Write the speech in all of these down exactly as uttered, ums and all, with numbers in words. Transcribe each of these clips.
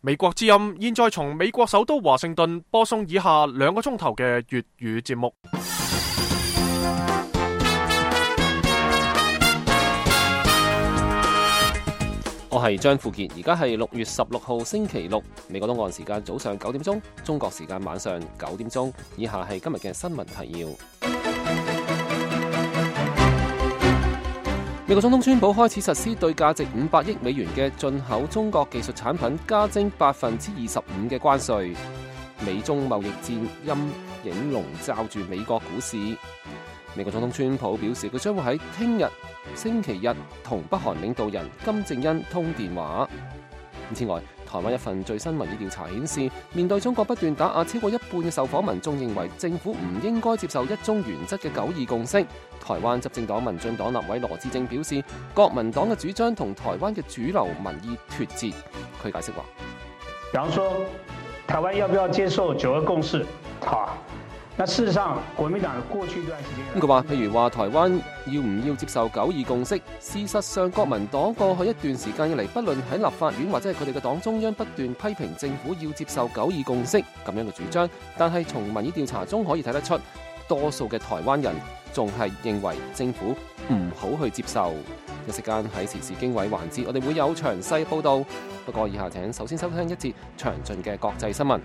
美國之音現在從美國首都華盛頓播送以下兩個鐘頭嘅粵語節目。我係張富傑，而家係六月十六號星期六，美國東岸時間早上九點鐘，中國時間晚上九點鐘。以下係今日嘅新聞提要。美國總統川普開始實施對價值五百億美元嘅進口中國技術產品加徵百分之二十五嘅關稅。美中貿易戰陰影籠罩住美國股市。美國總統川普表示，佢將會喺聽日星期日同北韓領導人金正恩通電話。此外，台灣一份最新民意調查顯示，面對中國不斷打壓，超過一半嘅受訪民眾認為政府唔應該接受一中原則嘅九二共識。台灣執政黨民進黨立委羅致政表示，國民黨嘅主張同台灣嘅主流民意脫節。佢解釋話，比方說台灣要不要接受九二共識？好，那事實上國民黨過去一段時間，佢話，譬如話台灣要唔要接受九二共識？事實上，國民黨過去一段時間以嚟，不論喺立法院或者係佢哋嘅黨中央，不斷批評政府要接受九二共識咁樣嘅主張。但係從民意調查中可以睇得出，多數嘅台灣人仲係認為政府唔好去接受。一時間喺時事經緯環節，我哋會有詳細報道。不過以下請首先收聽一節詳盡嘅國際新聞。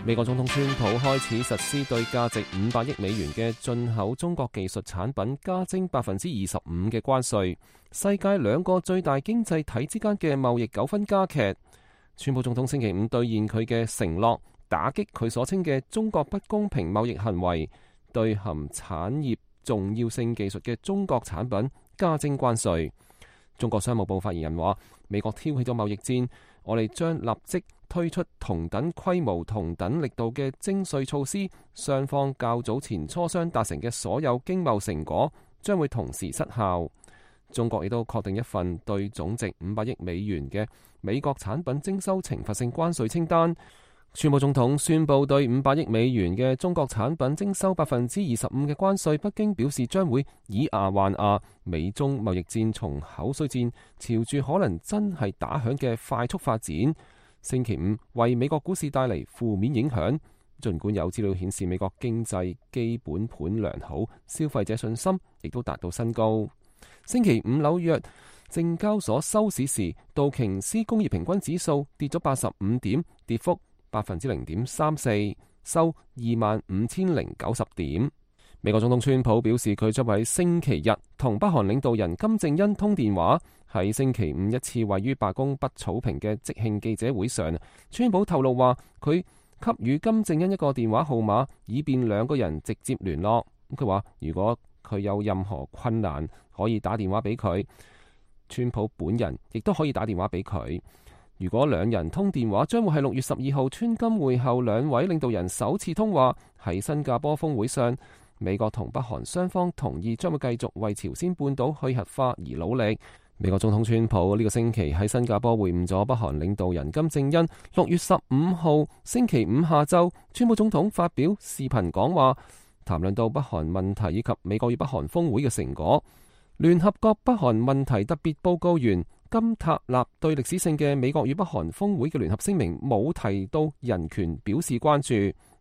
美國總統川普開始實施對價值五百億美元嘅進口中國技術產品加徵百分之二十五嘅關稅。世界兩個最大經濟體之間嘅貿易糾紛加劇。川普總統星期五兌現佢嘅承諾，打擊佢所稱嘅中國不公平貿易行為，對含產業重要性技術嘅中國產品加徵關稅。中國商務部發言人話，美國挑起咗貿易戰，我哋將立即推出同等規模、同等力度嘅徵稅措施。雙方較早前磋商達成嘅所有經貿成果將會同時失效。中國亦都確定一份對總值五百億美元嘅美國產品徵收懲罰性關稅清單。川普總統宣布對五百億美元嘅中國產品徵收百分之二十五嘅關稅。北京表示將會以牙還牙。美中貿易戰從口水戰朝住可能真係打響嘅快速發展。星期五為美國股市帶嚟負面影響。儘管有資料顯示美國經濟基本盤良好，消費者信心亦都達到新高。星期五紐約證交所收市時，道瓊斯工業平均指數跌咗八十五點，跌幅百分之零點三四，收二萬五千零九十點。美國總統川普表示，佢將喺星期日同北韓領導人金正恩通電話。喺星期五一次位於白宮北草坪嘅即興記者會上，川普透露話佢給予金正恩一個電話號碼，以便兩個人直接聯絡。佢話如果佢有任何困難，可以打電話俾佢。川普本人亦都可以打電話俾佢。如果兩人通電話，將會係六月十二號川金會後兩位領導人首次通話。喺新加坡峰會上，美國同北韓雙方同意將會繼續為朝鮮半島去核化而努力。美國總統川普呢個星期喺新加坡會晤咗北韓領導人金正恩。六月十五號星期五下晝，川普總統發表視頻講話，談論到北韓問題以及美國與北韓峰會嘅成果。聯合國北韓問題特別報告員金塔納對歷史性嘅美國與北韓峰會嘅聯合聲明冇提到人權表示關注。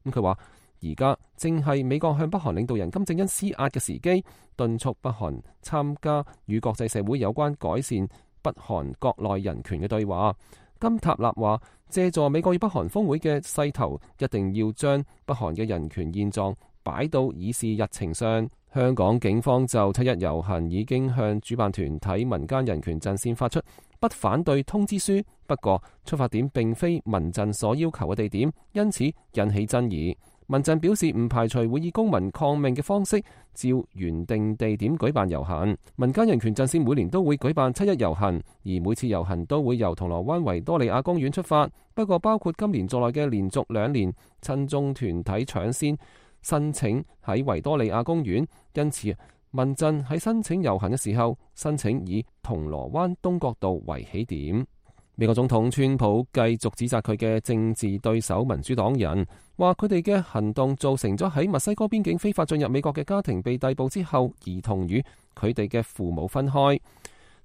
咁佢話而家正係美國向北韓領導人金正恩施壓嘅時機，敦促北韓參加與國際社會有關改善北韓國內人權嘅對話。金塔納話，借助美國與北韓峰會嘅勢頭，一定要將北韓嘅人權現狀擺到議事日程上。香港警方就七一遊行已經向主辦團體民間人權陣線發出不反對通知書，不過出發點並非民陣所要求嘅地點，因此引起爭議。民陣表示唔排除會以公民抗命嘅方式照原定地點舉辦遊行。民間人權陣線每年都會舉辦七一遊行，而每次遊行都會由銅鑼灣維多利亞公園出發。不過包括今年在內嘅連續兩年，親中團體搶先申請喺維多利亞公園，因此民陣喺申請遊行嘅時候，申請以銅鑼灣東角道為起點。美國總統川普繼續指責佢嘅政治對手民主黨人，話佢哋嘅行動造成咗喺墨西哥邊境非法進入美國嘅家庭被逮捕之後，兒童與佢哋嘅父母分開。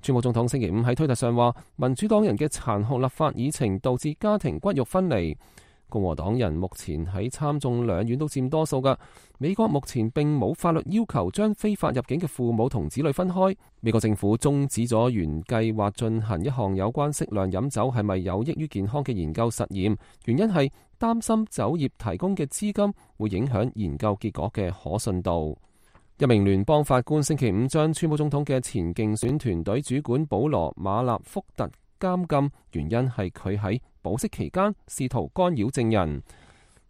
川普總統星期五喺推特上話，民主黨人嘅殘酷立法議程導致家庭骨肉分離。共和黨人目前喺參眾兩院都佔多數㗎。美國目前並冇法律要求將非法入境嘅父母同子女分開。美國政府終止咗原計劃進行一項有關適量飲酒係咪有益於健康嘅研究實驗，原因係擔心酒業提供嘅資金會影響研究結果嘅可信度。一名聯邦法官星期五將川普總統嘅前競選團隊主管保羅馬納福特監禁，原因係佢喺保釋期間試圖干擾證人。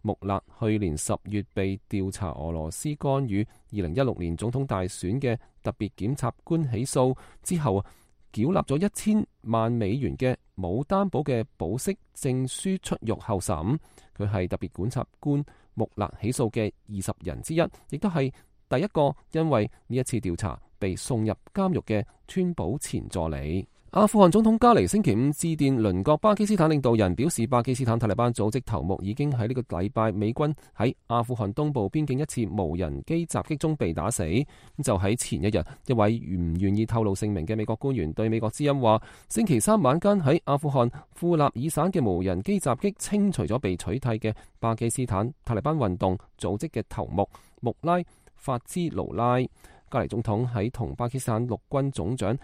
穆勒去年十月被調查俄羅斯干預二零一六年總統大選嘅特別檢察官起訴之後，繳納咗一千萬美元嘅冇擔保嘅保釋證書出獄候審。佢係特別檢察官穆勒起訴嘅二十人之一，亦都係第一個因為呢一次調查被送入監獄嘅川普前助理。阿富汗總統加尼星期五致電鄰國巴基斯坦領導人，表示巴基斯坦塔利班組織頭目已經喺呢個禮拜美軍喺阿富汗東部邊境一次無人機襲擊中被打死。就喺前一日，一位唔願意透露姓名嘅美國官員對美國之音話，星期三晚間喺阿富汗庫納爾省嘅無人機襲擊清除咗被取締嘅巴基斯坦塔利班運動組織嘅頭目穆拉法茲盧拉。加尼總統喺同巴基斯坦陸軍總長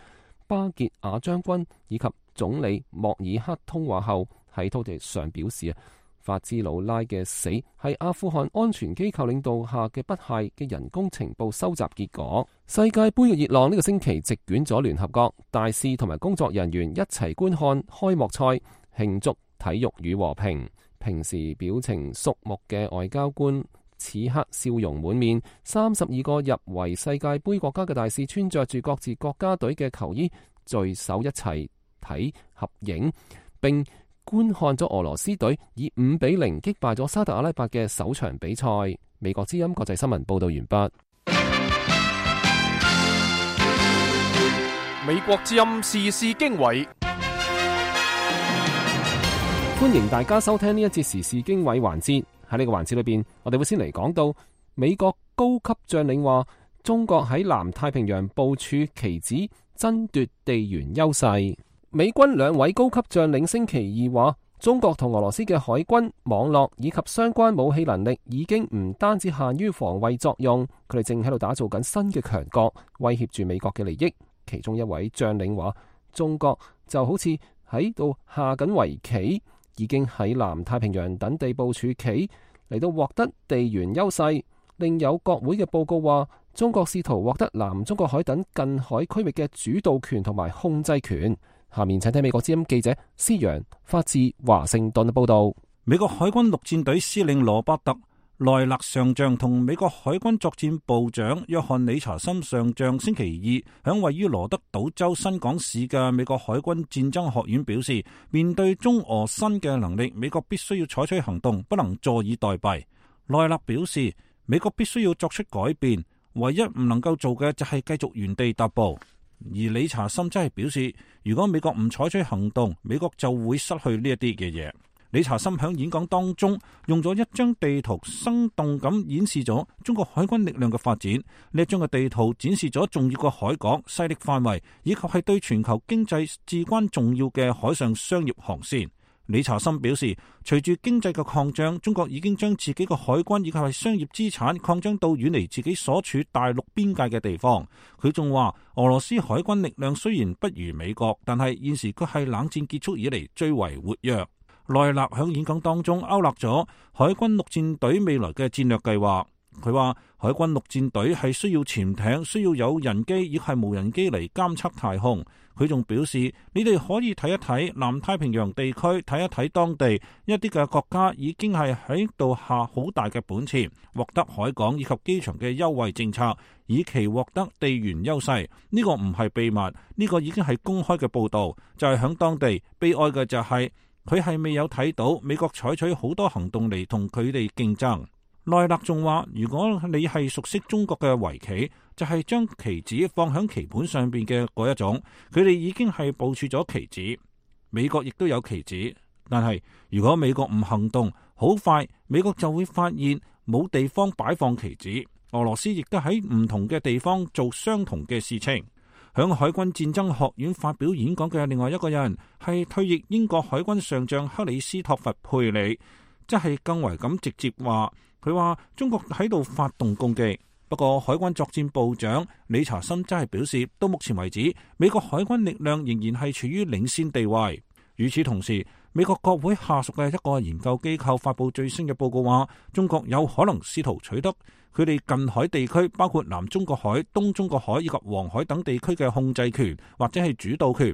巴傑亞將軍以及總理莫爾克通話後，喺推特上表示啊，法茲魯拉嘅死係阿富汗安全機構領導下嘅不懈嘅人工情報收集結果。世界盃嘅熱浪呢個星期席捲咗聯合國，大使同埋工作人員一齊觀看開幕賽，慶祝體育與和平。平時表情肅穆嘅外交官此刻笑容滿面，三十二個入圍世界盃國家嘅大使穿着住各自國家隊嘅球衣，聚首一齊睇合影，並觀看咗俄羅斯隊以五比零擊敗咗沙特阿拉伯嘅首場比賽。美國之音國際新聞報道完畢。美國之音時事經緯，歡迎大家收聽呢一節時事經緯環節。喺呢個環節裏邊，我哋會先嚟講到美國高級將領話，中國喺南太平洋部署棋子，爭奪地緣優勢。美軍兩位高級將領星期二話，中國同俄羅斯嘅海軍網絡以及相關武器能力已經唔單止限於防衛作用，佢哋正喺度打造緊新嘅強國，威脅住美國嘅利益。其中一位將領話，中國就好似喺度下緊圍棋，已經喺南太平洋等地部署棋嚟到獲得地緣優勢。另有國會嘅報告話，中國試圖獲得南中國海等近海區域嘅主導權同埋控制權。下面請聽美國之音記者施洋發自華盛頓嘅報道。美國海軍陸戰隊司令羅伯特萊勒上將同美國海軍作戰部長約翰理查森上將星期二響位於羅德島州新港市嘅美國海軍戰爭學院表示，面對中俄新嘅能力，美國必須要採取行動，不能坐以待斃。萊勒表示，美國必須要作出改變，唯一唔能夠做嘅就係繼續原地踏步。而理查森則係表示，如果美國唔採取行動，美國就會失去呢一啲嘅嘢。理查森響演講當中用咗一張地圖，生動咁演示咗中國海軍力量嘅發展。呢一張嘅地圖展示咗重要嘅海港、勢力範圍，以及係對全球經濟至關重要嘅海上商業航線。理查森表示，隨住經濟嘅擴張，中國已經將自己嘅海軍以及係商業資產擴張到遠離自己所處大陸邊界嘅地方。佢仲話，俄羅斯海軍力量雖然不如美國，但係現時佢係冷戰結束以嚟最為活躍。萊勒響演講當中勾勒咗海軍陸戰隊未來嘅戰略計劃。佢話海軍陸戰隊係需要潛艇，需要有人機，亦係無人機嚟監測太空。佢仲表示，你哋可以睇一睇南太平洋地區，睇一睇當地一啲嘅國家已經係喺度下好大嘅本錢，獲得海港以及機場嘅優惠政策，以期獲得地緣優勢。呢個唔係秘密，呢個已經係公開嘅報道。就係響當地悲哀嘅就係佢係未有睇到美國採取好多行動嚟同佢哋競爭。萊勒仲話，如果你係熟悉中國嘅圍棋，就係將棋子放響棋盤上邊嘅嗰一種，佢哋已經係部署咗棋子。美國亦都有棋子。但係如果美國唔行動，好快美國就會發現冇地方擺放棋子。俄羅斯亦都喺唔同嘅地方做相同嘅事情。響海軍戰爭學院發表演講嘅另外一個人係退役英國海軍上將克里斯托弗佩里，即係更為咁直接話，佢話中國喺度發動攻擊。不過海軍作戰部長理查森真係表示，到目前為止，美國海軍力量仍然係處於領先地位。與此同時，美國國會下屬嘅一個研究機構發佈最新嘅報告話，中國有可能試圖取得佢哋近海地區，包括南中國海、東中國海以及黃海等地區嘅控制權或者係主導權，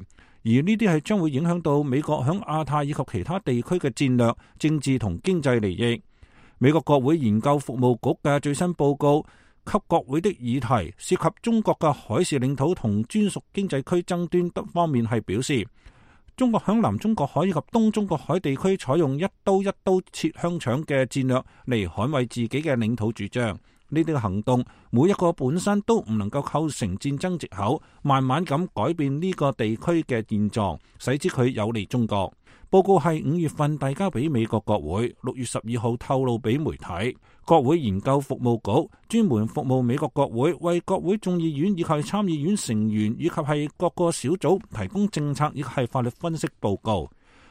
而呢啲係將會影響到美國響亞太以及其他地區嘅戰略、政治同經濟利益。美國國會研究服務局嘅最新報告給國會的議題涉及中國嘅海事領土同專屬經濟區爭端等方面係表示，中國響南中國海以及東中國海地區採用一刀一刀切香腸嘅戰略嚟捍衛自己嘅領土主張。呢啲嘅行動每一個本身都唔能夠構成戰爭藉口，慢慢咁改變呢個地區嘅現狀，使之佢有利中國。報告係五月份遞交俾美國國會，六月十二號透露俾媒體。國會研究服務局專門服務美國國會，為國會眾議院以及參議院成員以及係各個小組提供政策以及係法律分析報告。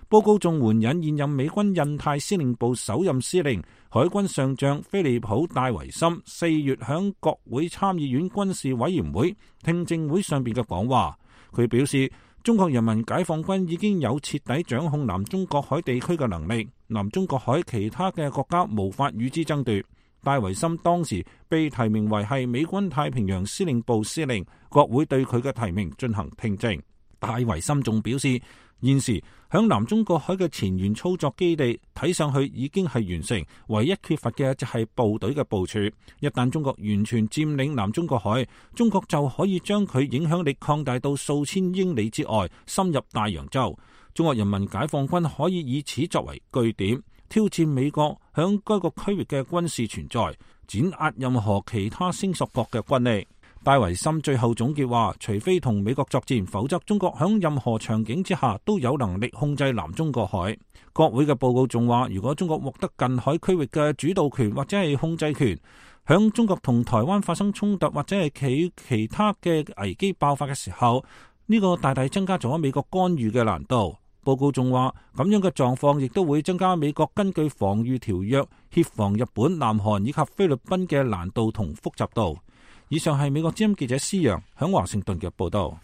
報告仲援引現任美軍印太司令部首任司令海軍上將菲利普戴維森四月響國會參議院軍事委員會聽證會上邊嘅講話，佢表示，中國人民解放軍已經有徹底掌控南中國海地區嘅能力，南中國海其他嘅國家無法與之爭奪。戴維森當時被提名為係美軍太平洋司令部司令，國會對佢嘅提名進行聽證。戴維森仲表示，現時響南中國海嘅前沿操作基地睇上去已經係完成，唯一缺乏嘅就係部隊嘅部署。一旦中國完全佔領南中國海，中國就可以將佢影響力擴大到數千英里之外，深入大洋洲。中國人民解放軍可以以此作為據點，挑戰美國響該個區域嘅軍事存在，碾壓任何其他聲索國嘅軍力。戴維森最後總結話，除非同美國作戰，否則中國響任何場景之下都有能力控制南中國海。國會嘅報告仲話，如果中國獲得近海區域嘅主導權或者係控制權，響中國同台灣發生衝突或者係其其他嘅危機爆發嘅時候，呢個大大增加咗美國干預嘅難度。報告仲話，咁樣嘅狀況亦都會增加美國根據防禦條約協防日本、南韓以及菲律賓嘅難度同複雜度。以上係美國之音記者施洋響華盛頓嘅報道。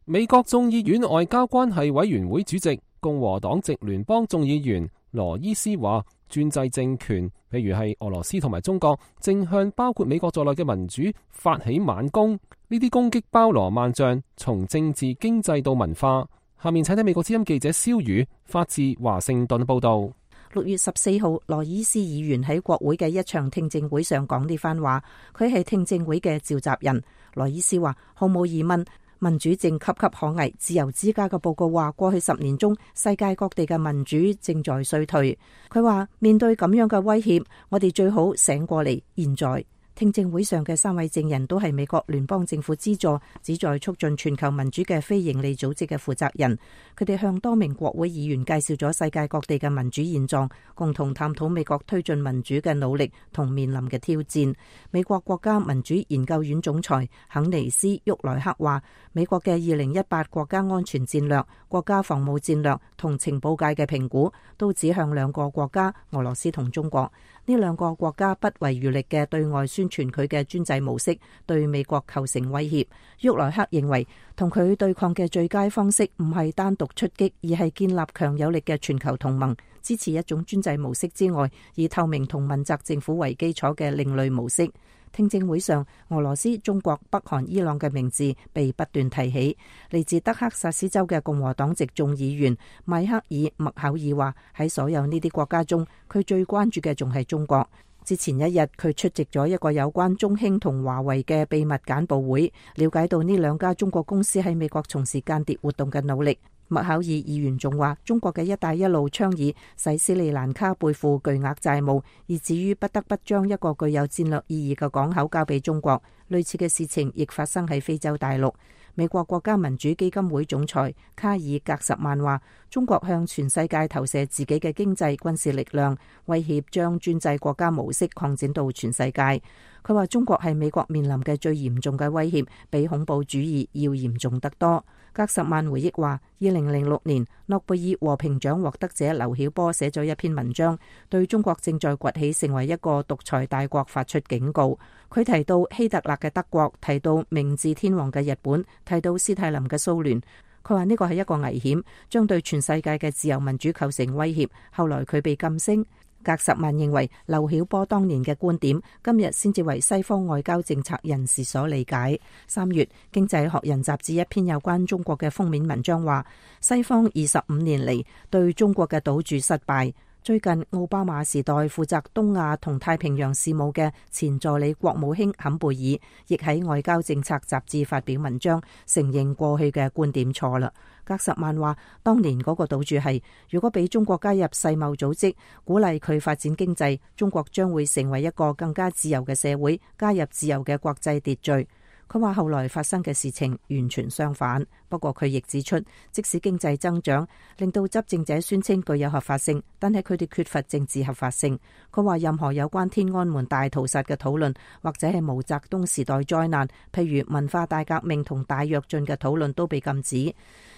美國眾議院外交關係委員會主席、共和黨籍聯邦眾議員羅伊斯話，專制政權，譬如係俄羅斯同埋中國，正向包括美國在內嘅民主發起猛攻。呢啲攻擊包羅萬象，從政治、經濟到文化。下面請睇美國之音記者蕭宇發自華盛頓報道。六月十四號，羅伊斯議員喺國會嘅一場聽證會上講呢番話，佢係聽證會嘅召集人。羅伊斯話，毫無疑問，民主正岌岌可危。自由之家嘅報告話，過去十年中，世界各地嘅民主正在衰退。佢話，面對咁樣嘅威脅，我哋最好醒過嚟。現在聽證會上嘅三位證人都係美國聯邦政府資助、旨在促進全球民主嘅非營利組織嘅負責人。佢哋向多名國會議員介紹咗世界各地嘅民主現狀，共同探討美國推進民主嘅努力同面臨嘅挑戰。美國國家民主研究院總裁肯尼斯·沃萊克話，美國嘅二零一八國家安全戰略、國家防務戰略同情報界嘅評估都指向兩個國家，俄羅斯同中國。呢兩個國家不遺餘力嘅對外宣傳佢嘅專制模式，對美國構成威脅。沃萊克認為，同佢對抗嘅最佳方式唔係單獨出擊，而係建立強有力嘅全球同盟，支持一種專制模式之外，以透明同問責政府為基礎嘅另類模式。聽證會上，俄羅斯、中國、北韓、伊朗嘅名字被不斷提起。嚟自德克薩斯州嘅共和黨籍眾議員邁克爾·麥考爾話，喺所有呢啲國家中，佢最關注嘅仲係中國。之前一日，佢出席咗一個有關中興同華為嘅秘密簡報會，了解到呢兩家中國公司喺美國從事間諜活動嘅努力。麥考爾議員仲話，中國嘅一帶一路倡議使斯里蘭卡背負巨額債務，以至於不得不將一個具有戰略意義嘅港口交俾中國。類似嘅事情亦發生喺非洲大陸。美國國家民主基金會總裁卡爾格什曼話，中國向全世界投射自己嘅經濟軍事力量，威脅將專制國家模式擴展到全世界。佢話中國係美國面臨嘅最嚴重嘅威脅，比恐怖主義要嚴重得多。格什曼回憶話，二零零六年諾貝爾和平獎獲得者劉曉波寫咗一篇文章，對中國正在崛起成為一個獨裁大國發出警告。佢提到希特勒嘅德國，提到明治天皇嘅日本，提到斯大林嘅蘇聯。佢話呢個係一個危險，將對全世界嘅自由民主構成威脅。後來佢被禁聲。格什曼認為劉曉波當年嘅觀點今日先至為西方外交政策人士所理解。三月，《經濟學人》雜誌一篇有關中國嘅封面文章話，西方二十五年嚟對中國嘅賭注失敗。最近奧巴馬時代負責東亞同太平洋事務嘅前助理國務卿坎貝爾亦喺外交政策雜誌發表文章，承認過去嘅觀點錯啦。格什曼話，當年嗰個賭注係，如果俾中國加入世貿組織，鼓勵佢發展經濟，中國將會成為一個更加自由嘅社會，加入自由嘅國際秩序。佢話後來發生嘅事情完全相反，不過佢亦指出，即使經濟增長令到執政者宣稱具有合法性，但係佢哋缺乏政治合法性。佢話任何有關天安門大屠殺嘅討論，或者係毛澤東時代災難，譬如文化大革命同大躍進嘅討論都被禁止。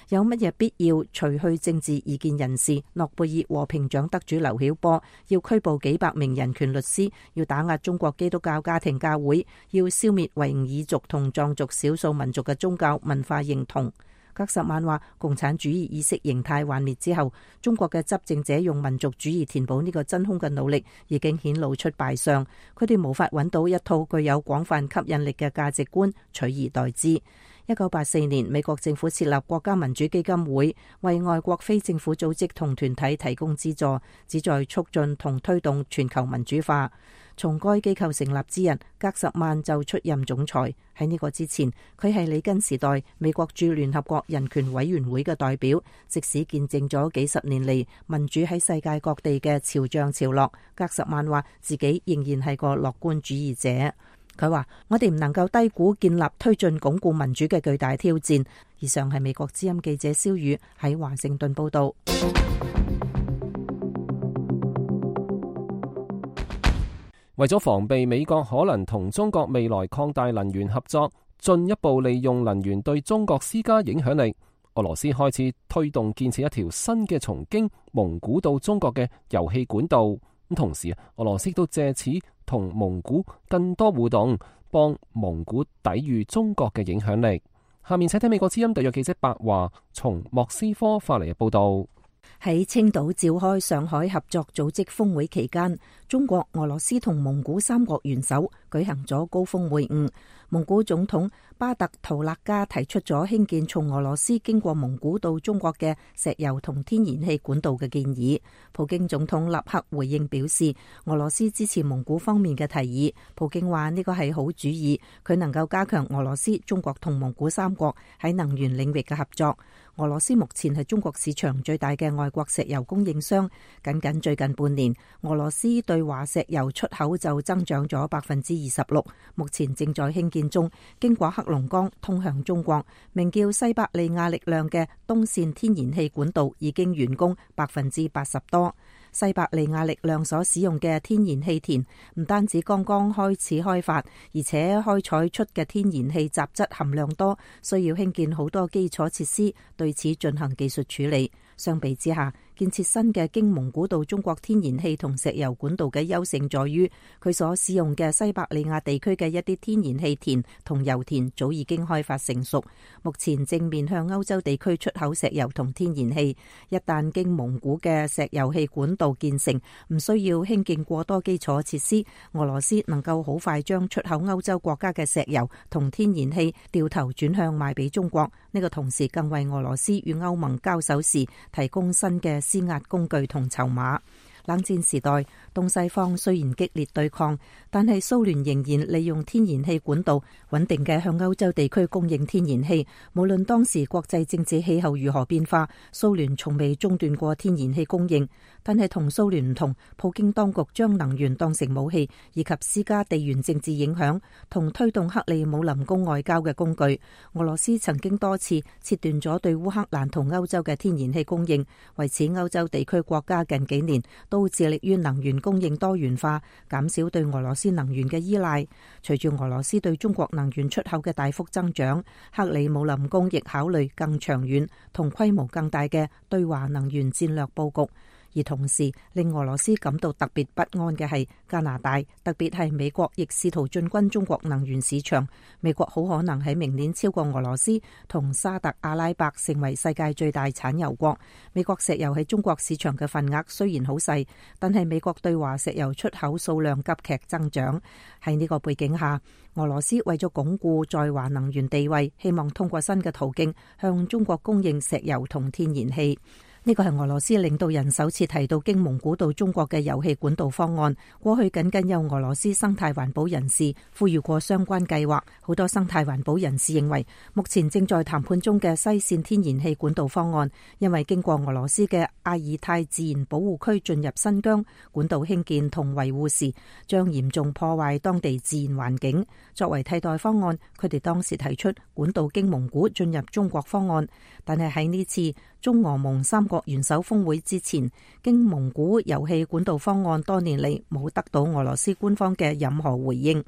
有乜嘢必要除去政治異見人士？諾貝爾和平獎得主劉曉波要拘捕幾百名人權律師，要打壓中國基督教家庭教會，要消滅維吾爾族同藏族少數民族嘅宗教文化認同。格什曼話，共產主義意識形態幻滅之後，中國嘅執政者用民族主義填補呢個真空嘅努力已經顯露出敗相，佢哋無法揾到一套具有廣泛吸引力嘅價值觀取而代之。一九八四年，美國政府設立國家民主基金會，為外國非政府組織同團體提供資助，旨在促進同推動全球民主化。從該機構成立之日，格什曼就出任總裁。喺呢個之前，佢係里根時代美國駐聯合國人權委員會嘅代表，即使見證咗幾十年嚟民主喺世界各地嘅潮漲潮落，格什曼話自己仍然係個樂觀主義者。佢話：我哋唔能夠低估建立、推進、鞏固民主嘅巨大挑戰。以上係美國之音記者蕭宇喺華盛頓報道。為咗防備美國可能同中國未來擴大能源合作，進一步利用能源對中國施加影響力，俄羅斯開始推動建設一條新嘅從經蒙古到中國嘅油氣管道。咁同時，俄羅斯都借此同蒙古更多互動，幫蒙古抵禦中國嘅影響力。下面請聽美國之音特約記者白華從莫斯科發嚟嘅報道。喺青島召開上海合作組織峰會期間，中國、俄羅斯同蒙古三國元首舉行咗高峰會晤。蒙古總統巴特圖勒加提出咗興建從俄羅斯經過蒙古到中國嘅石油同天然氣管道嘅建議。普京總統立刻回應表示，俄羅斯支持蒙古方面嘅提議。普京話呢個係好主意，佢能夠加強俄羅斯、中國同蒙古三國喺能源領域嘅合作。俄羅斯目前係中國市場最大嘅外國石油供應商，僅僅最近半年，俄羅斯對華石油出口就增長咗百分之二十六。目前正在興建中，經過黑龍江通向中國，名叫西伯利亞力量嘅東線天然氣管道已經完工百分之八十多。西伯利亞力量所使用嘅天然氣田唔單止剛剛開始開發，而且開採出嘅天然氣雜質含量多，需要興建好多基礎設施，對此進行技術處理。相比之下，建設新嘅經蒙古到中國天然氣同石油管道嘅優勝在於，佢所使用嘅西伯利亞地區嘅一啲天然氣田同油田早已經開發成熟，目前正面向歐洲地區出口石油同天然氣。一旦經蒙古嘅石油氣管道建成，唔需要興建過多基礎設施，俄羅斯能夠好快將出口歐洲國家嘅石油同天然氣掉頭轉向賣俾中國。呢個同時更為俄羅斯與歐盟交手時提供新嘅施壓工具同籌碼。冷戰時代，東西方雖然激烈對抗，但係蘇聯仍然利用天然氣管道穩定嘅向歐洲地區供應天然氣。無論當時國際政治氣候如何變化，蘇聯從未中斷過天然氣供應。但係同蘇聯唔同，普京當局將能源當成武器，以及施加地緣政治影響同推動克里姆林宮外交嘅工具。俄羅斯曾經多次切斷咗對烏克蘭同歐洲嘅天然氣供應，為此歐洲地區國家近幾年都致力於能源供應多元化，減少對俄羅斯能源嘅依賴。隨住俄羅斯對中國能源出口嘅大幅增長，克里姆林宮亦考慮更長遠同規模更大嘅對華能源戰略佈局。而同時令俄羅斯感到特別不安嘅係加拿大，特別係美國亦試圖進軍中國能源市場。美國好可能喺明年超過俄羅斯同沙特阿拉伯成為世界最大產油國。美國石油喺中國市場嘅份額雖然好細，但係美國對華石油出口數量急劇增長。喺呢個背景下，俄羅斯為咗鞏固在華能源地位，希望通過新嘅途徑向中國供應石油同天然氣。呢個係俄羅斯領導人首次提到經蒙古到中國嘅油氣管道方案。過去僅僅有俄羅斯生態環保人士呼籲過相關計劃。好多生態環保人士認為，目前正在談判中嘅西線天然氣管道方案，因為經過俄羅斯嘅阿爾泰自然保護區進入新疆，管道興建同維護時將嚴重破壞當地自然環境。作為替代方案，佢哋當時提出管道經蒙古進入中國方案，但係喺呢次中俄蒙三國元首峰會之前，經蒙古油氣管道方案多年嚟冇得到俄羅斯官方嘅任何回應。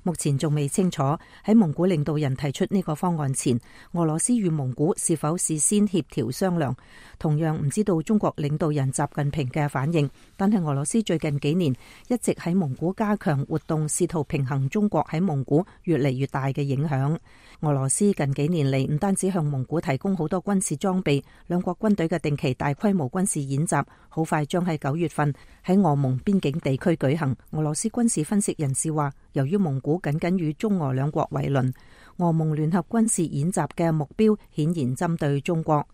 目前仲未清楚喺蒙古領導人提出呢個方案前，俄羅斯與蒙古是否事先協調商量。同樣唔知道中國領導人習近平嘅反應，但係俄羅斯最近幾年一直喺蒙古加強活動，試圖平衡中國喺蒙古越嚟越大嘅影響。俄羅斯近幾年嚟唔單止向蒙古提供好多軍事裝備，兩國軍隊嘅定期大規模軍事演習好快將喺九月份喺俄蒙邊境地區舉行。俄羅斯軍事分析人士話，由於蒙古僅僅與中俄兩國為鄰，俄蒙聯合軍事演習嘅目標顯然針對中國。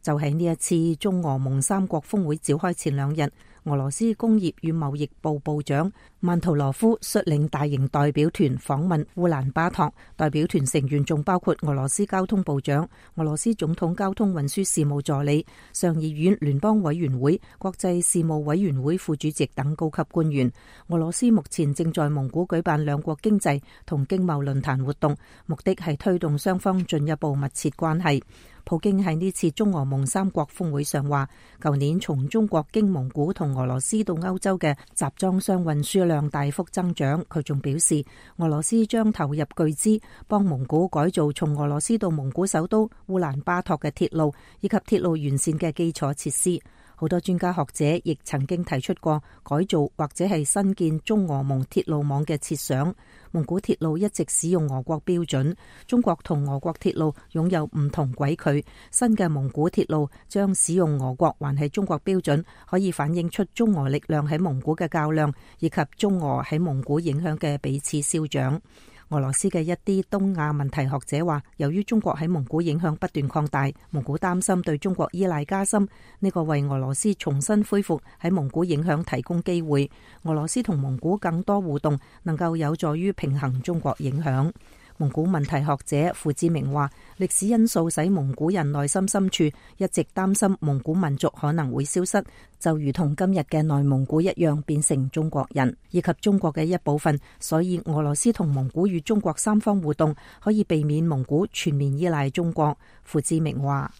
就喺呢一次中俄蒙三國峰會召開前兩日，俄羅斯工業與貿易部部長曼圖羅夫率領大型代表團訪問烏蘭巴托。代表團成員仲包括俄羅斯交通部長、俄羅斯總統交通運輸事務助理、上議院聯邦委員會國際事務委員會副主席等高級官員。俄羅斯目前正在蒙古舉辦兩國經濟同經貿論壇活動，目的係推動雙方進一步密切關係。普京喺呢次中俄蒙三國峰會上話，舊年從中國經蒙古同俄羅斯到歐洲嘅集裝箱運輸量大幅增長。佢仲表示，俄羅斯將投入巨資幫蒙古改造從俄羅斯到蒙古首都烏蘭巴托嘅鐵路，以及鐵路沿線嘅基礎設施。好多專家學者亦曾經提出過改造或者係新建中俄蒙鐵路網嘅設想。蒙古鐵路一直使用俄國標準，中國同俄國鐵路擁有唔同軌距。新嘅蒙古鐵路將使用俄國還係中國標準，可以反映出中俄力量喺蒙古嘅較量，以及中俄喺蒙古影響嘅彼此消長。俄羅斯嘅一啲東亞問題學者話，由於中國喺蒙古影響不斷擴大，蒙古擔心對中國依賴加深，呢個為俄羅斯重新恢復喺蒙古影響提供機會。俄羅斯同蒙古更多互動，能夠有助於平衡中國影響。蒙古問題學者傅志明話，歷史因素使蒙古人內心深處一直擔心蒙古民族可能會消失，就如同今日嘅內蒙古一樣變成中國人以及中國嘅一部分。所以俄羅斯同蒙古與中國三方互動可以避免蒙古全面依賴中國。傅志明話，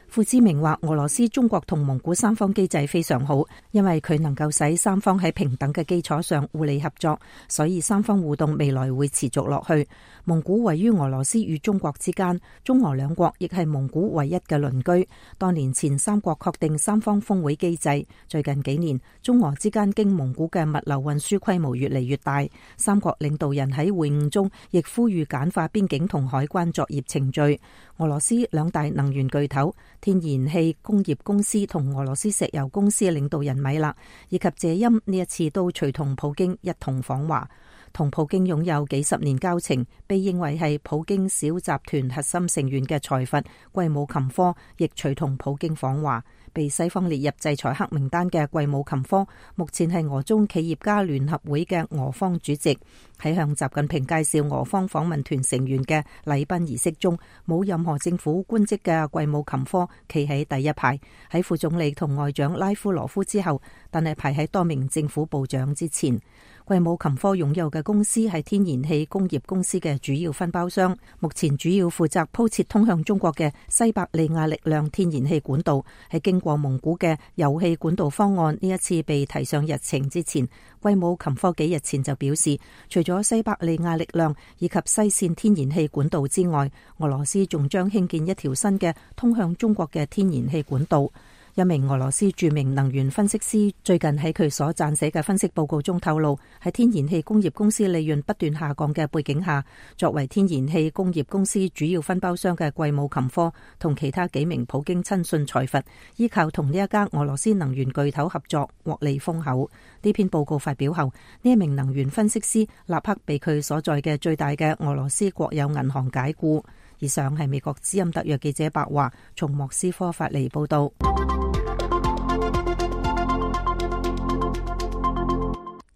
傅志明話，俄羅斯、中國同蒙古三方機制非常好，因為佢能夠使三方喺平等嘅基礎上互利合作，所以三方互動未來會持續落去。蒙古位於俄羅斯與中國之間，中俄兩國亦係蒙古唯一嘅鄰居。多年前三國確定三方峰會機制，最近幾年中俄之間經蒙古嘅物流運輸規模越嚟越大。三國領導人喺會晤中亦呼籲簡化邊境同海關作業程序。俄羅斯兩大能源巨頭天然氣工業公司同俄羅斯石油公司領導人米勒以及謝欽呢一次都隨同普京一同訪華。同普京擁有幾十年交情，被認為係普京小集團核心成員嘅財閥季姆琴科亦隨同普京訪華。被西方列入制裁黑名單嘅季姆琴科，目前係俄中企業家聯合會嘅俄方主席。喺向習近平介紹俄方訪問團成員嘅禮賓儀式中，冇任何政府官職嘅季姆琴科企喺第一排，喺副總理同外長拉夫羅夫之後，但係排喺多名政府部長之前。季姆琴科擁有嘅公司係天然氣工業公司嘅主要分包商，目前主要負責鋪設通向中國嘅西伯利亞力量天然氣管道。喺經過蒙古嘅油氣管道方案呢一次被提上日程之前，季姆琴科幾日前就表示，除咗西伯利亞力量以及西線天然氣管道之外，俄羅斯仲將興建一條新嘅通向中國嘅天然氣管道。一名俄羅斯著名能源分析師最近喺佢所撰寫嘅分析報告中透露，喺天然氣工業公司利潤不斷下降嘅背景下，作為天然氣工業公司主要分包商嘅季姆琴科同其他幾名普京親信財閥，依靠同呢一家俄羅斯能源巨頭合作獲利豐厚。呢篇報告發表後，呢一名能源分析師立刻被佢所在嘅最大嘅俄羅斯國有銀行解僱。以上係美國之音特約記者白華從莫斯科發嚟報道。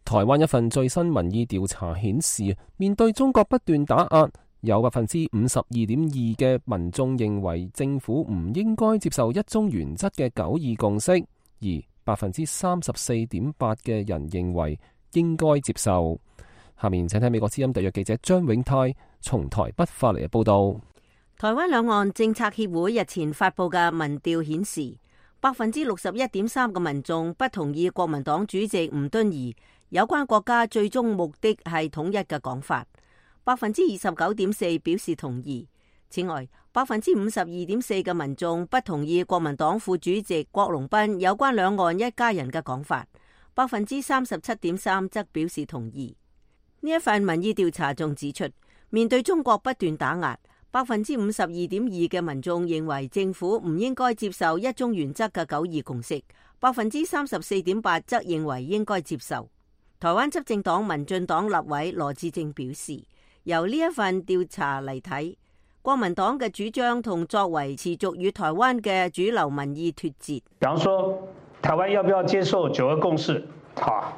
台灣一份最新民意調查顯示，面對中國不斷打壓，有百分之五十二點二嘅民眾認為政府唔應該接受一中原則嘅九二共識，而百分之三十四點八嘅人認為應該接受。下面請睇美國之音特約記者張永泰從台北發嚟嘅報道。台灣兩岸政策協會日前發布嘅民調顯示，百分之六十一點三嘅民眾不同意國民黨主席吳敦義有關國家最終目的係統一嘅講法，百分之二十九點四表示同意。此外，百分之五十二點四嘅民眾不同意國民黨副主席郭榮斌有關兩岸一家人嘅講法，百分之三十七點三則表示同意。呢一份民意調查仲指出，面對中國不斷打壓，百分之五十二點二嘅民眾認為政府唔應該接受一中原則嘅九二共識，百分之三十四點八則認為應該接受。台灣執政黨民進黨立委羅致政表示，由呢一份調查嚟睇，國民黨嘅主張同作為持續與台灣嘅主流民意脫節。比方說，台灣要不要接受九二共識？好，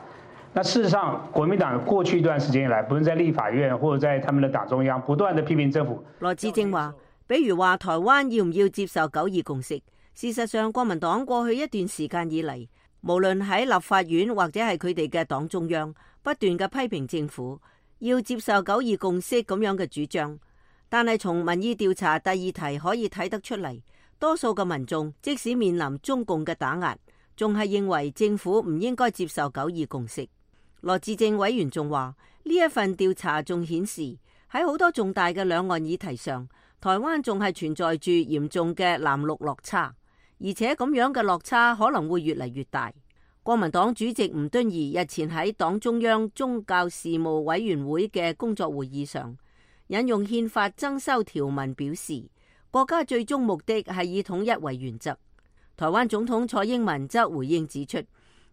那事實上，國民黨過去一段時間以來，不論在立法院或者在他們的黨中央，不斷的批評政府。羅致政話，比如話台灣要唔要接受九二共識？事實上，國民黨過去一段時間以嚟，無論喺立法院或者係佢哋嘅黨中央，不斷嘅批評政府要接受九二共識咁樣嘅主張。但係從民意調查第二題可以睇得出嚟，多數嘅民眾即使面臨中共嘅打壓，仲係認為政府唔應該接受九二共識。羅致政委員仲話，呢一份調查仲顯示喺好多重大嘅兩岸議題上，台灣仲係存在住嚴重嘅藍綠落差。而且咁樣嘅落差可能會越嚟越大。國民黨主席吳敦義日前喺黨中央宗教事務委員會嘅工作會議上，引用憲法增修條文表示，國家最終目的係以統一為原則。台灣總統蔡英文則回應指出，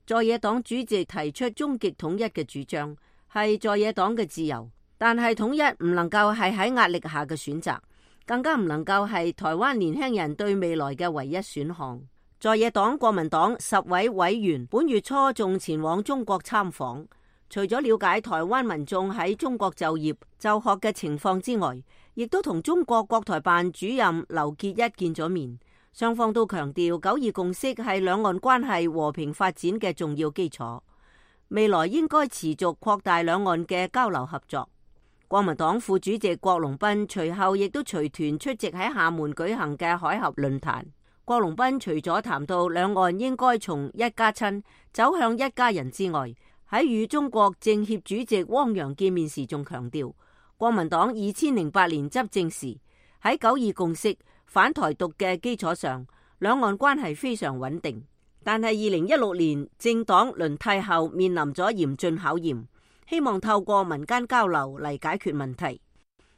在野黨主席提出終極統一嘅主張係在野黨嘅自由，但係統一唔能夠係喺壓力下嘅選擇，更加唔能夠係台灣年輕人對未來嘅唯一選項。在野黨國民黨十位委員本月初仲前往中國參訪，除咗了解台灣民眾喺中國就業就學嘅情況之外，亦都同中國國台辦主任劉結一見咗面。雙方都強調九二共識係兩岸關係和平發展嘅重要基礎，未來應該持續擴大兩岸嘅交流合作。國民黨副主席郭榮斌隨後亦都隨團出席喺廈門舉行嘅海峽論壇。郭榮斌除咗談到兩岸應該從一家親走向一家人之外，喺與中國政協主席汪洋見面時仲強調，國民黨二千零八年執政時喺九二共識反台獨嘅基礎上，兩岸關係非常穩定。但係二零一六年政黨輪替後面臨咗嚴峻考驗，希望透過民間交流嚟解決問題。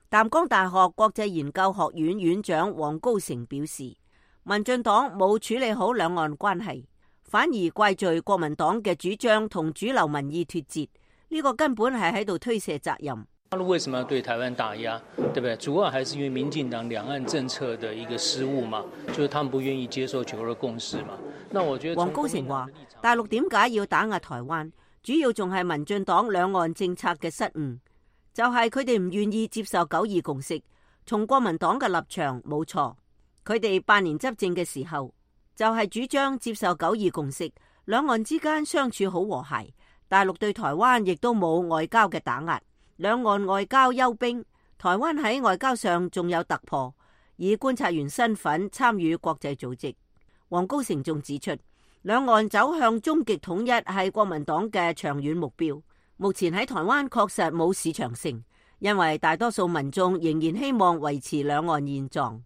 淡江大學國際研究學院院長黃高成表示，民進黨冇處理好兩岸關係，反而怪罪國民黨嘅主張同主流民意脫節，呢個根本係喺度推卸責任。大陸為什麼要對台灣打壓，對不對？主要還是因為民進黨兩岸政策的一個失誤嘛，就是他們不願意接受九二共識嘛。那我覺得黃高成話，大陸點解要打壓台灣，主要仲係民進黨兩岸政策嘅失誤，就係佢哋唔願意接受九二共識。從國民黨嘅立場冇錯，佢哋八年執政嘅時候就係主張接受九二共識，兩岸之間相處好和諧，大陸對台灣亦都冇外交嘅打壓。兩岸外交休兵，台灣喺外交上仲有突破，以觀察員身份參與國際組織。黃高成仲指出，兩岸走向終極統一係國民黨嘅長遠目標。目前喺台灣確實冇市場性，因為大多數民眾仍然希望維持兩岸現狀。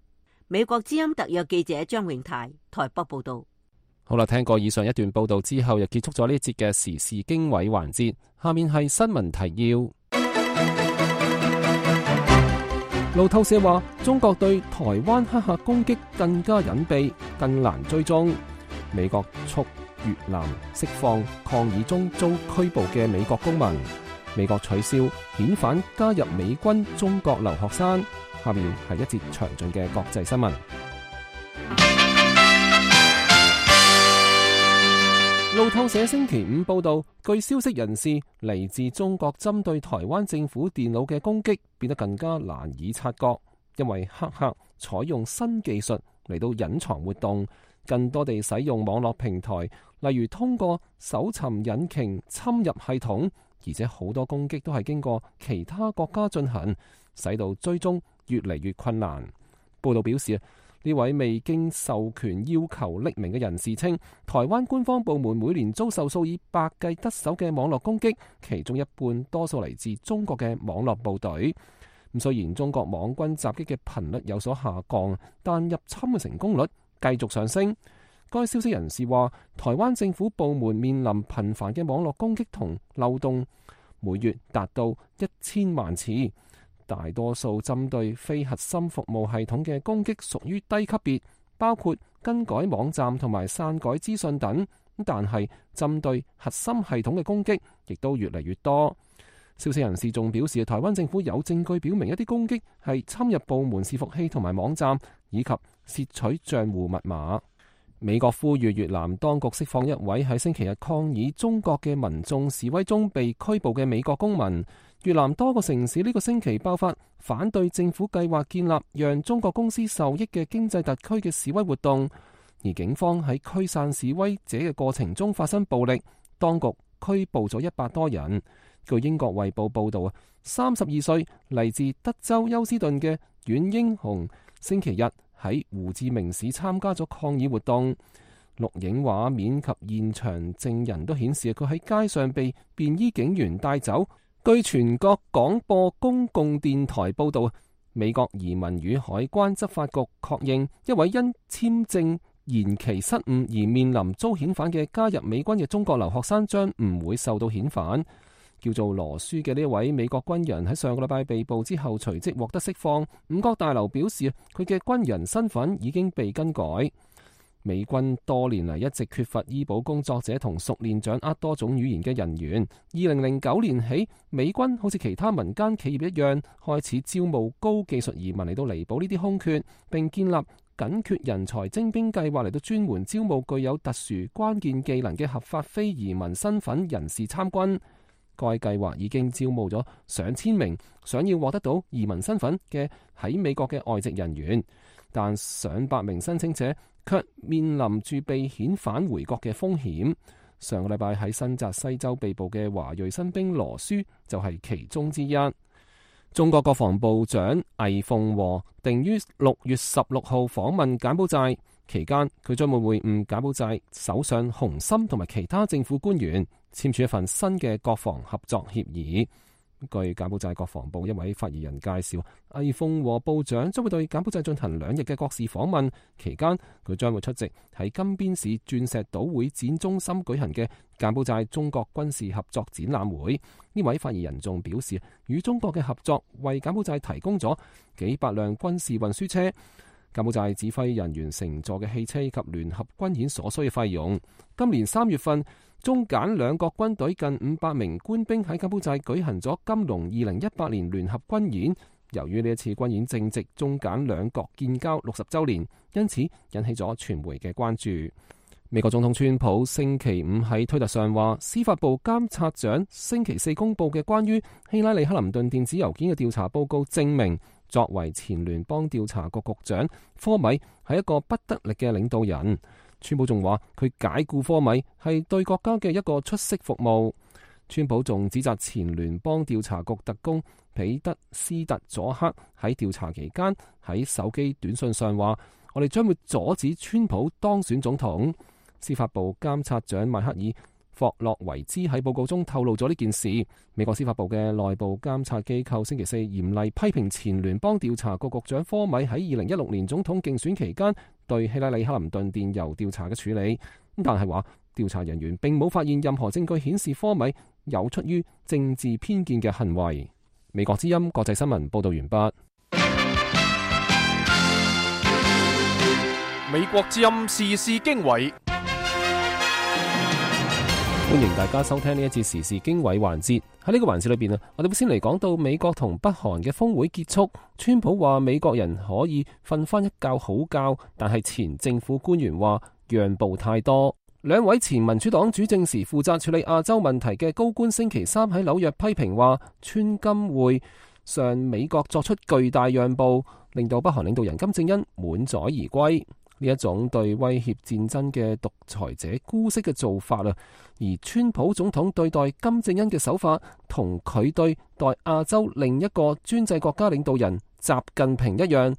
美國之音特約記者張永泰台北報道。好啦，聽過以上一段報道之後，又結束咗呢節嘅時事經緯環節。下面係新聞提要。路透社話，中國對台灣黑客攻擊更加隱蔽，更難追蹤。美國促越南釋放抗議中遭拘捕嘅美國公民。美國取消遣返加入美軍中國留學生。下面係一節詳盡嘅國際新聞。路透社星期五報道，據消息人士，嚟自中國針對台灣政府電腦嘅攻擊變得更加難以察覺，因為黑客採用新技術嚟到隱藏活動，更多地使用網絡平台，例如通過搜尋引擎侵入系統，而且好多攻擊都係經過其他國家進行，使到追蹤越嚟越困難。報道表示，呢位未經授權要求匿名嘅人士稱，台灣官方部門每年遭受數以百計得手嘅網絡攻擊，其中一半多數嚟自中國嘅網絡部隊。咁雖然中國網軍襲擊嘅頻率有所下降，但入侵嘅成功率繼續上升。該消息人士話，台灣政府部門面臨頻繁嘅網絡攻擊同漏洞，每月達到一千萬次。大多數針對非核心服務系統嘅攻擊屬於低級別，包括更改網站同埋篡改資訊等。但係針對核心系統嘅攻擊亦都越嚟越多。消息人士仲表示，台灣政府有證據表明一啲攻擊係侵入部門伺服器同埋網站，以及竊取賬戶密碼。美國呼籲越南當局釋放一位喺星期日抗議中國嘅民眾示威中被拘捕嘅美國公民。越南多個城市呢個星期爆發反對政府計劃建立讓中國公司受益嘅經濟特區嘅示威活動，而警方喺驅散示威者嘅過程中發生暴力，當局拘捕咗一百多人。據英國衛報報道啊，三十二歲嚟自德州休斯頓嘅阮英雄星期日喺胡志明市參加咗抗議活動，錄影畫面及現場證人都顯示佢喺街上被便衣警員帶走。據全國廣播公共電台報道，美國移民與海關執法局確認一位因簽證延期失誤而面臨遭遣返嘅加入美軍嘅中國留學生將唔會受到遣返。叫做羅舒嘅呢位美國軍人喺上個禮拜被捕之後隨即獲得釋放。五角大樓表示佢嘅軍人身份已經被更改。美軍多年嚟一直缺乏醫保工作者同熟練掌握多種語言嘅人員。二零零九年起，美軍好似其他民間企業一樣，開始招募高技術移民嚟到彌補呢啲空缺，並建立緊缺人才徵兵計劃嚟到專門招募具有特殊關鍵技能嘅合法非移民身份人士參軍。該計劃已經招募咗上千名想要獲得到移民身份嘅喺美國嘅外籍人員，但上百名申請者卻面臨住被遣返回國嘅風險。上個禮拜喺新澤西州被捕嘅華裔新兵羅舒就係其中之一。中國國防部長魏鳳和定於六月十六號訪問柬埔寨，期間佢將會會晤柬埔寨首相洪森同埋其他政府官員，簽署一份新嘅國防合作協議。據柬埔寨國防部一位發言人介紹，魏鳳和部長將會對柬埔寨進行兩日嘅國事訪問，期間佢將會出席喺金邊市鑽石島會展中心舉行嘅柬埔寨中國軍事合作展覽會。呢位發言人仲表示，與中國嘅合作為柬埔寨提供咗幾百輛軍事運輸車，柬埔寨指揮人員乘坐嘅汽車及聯合軍演所需嘅費用。今年三月份，中柬兩國軍隊近五百名官兵喺柬埔寨舉行咗金龍二零一八年聯合軍演。由於呢一次軍演正值中柬兩國建交六十週年，因此引起咗傳媒嘅關注。美國總統川普星期五喺推特上話，司法部監察長星期四公佈嘅關於希拉里克林頓電子郵件嘅調查報告證明，作為前聯邦調查局局長，科米係一個不得力嘅領導人。川普仲話佢解僱科米係對國家嘅一個出色服務。川普仲指責前聯邦調查局特工彼得斯特佐克喺調查期間喺手機短信上話，我哋將會阻止川普當選總統。司法部監察長邁克爾霍洛維茲喺報告中透露咗呢件事。美國司法部嘅內部監察機構星期四嚴厲批評前聯邦調查局局長科米喺二零一六年總統競選期間對希拉里克林頓電郵調查嘅處理，但係話調查人員並冇發現任何證據顯示科米有出於政治偏見嘅行為。美國之音國際新聞報道完畢。美國之音時事經緯，歡迎大家收聽呢一節時事經緯環節。喺呢個環節裏邊啊，我哋會先嚟講到美國同北韓嘅峰會結束。川普話美國人可以瞓翻一覺好覺，但係前政府官員話讓步太多。兩位前民主黨主政時負責處理亞洲問題嘅高官星期三喺紐約批評話，川金會上美國作出巨大讓步，令到北韓領導人金正恩滿載而歸。呢一種對威脅戰爭嘅獨裁者姑息嘅做法啊，而川普總統對待金正恩嘅手法，同佢對待亞洲另一個專制國家領導人習近平一樣，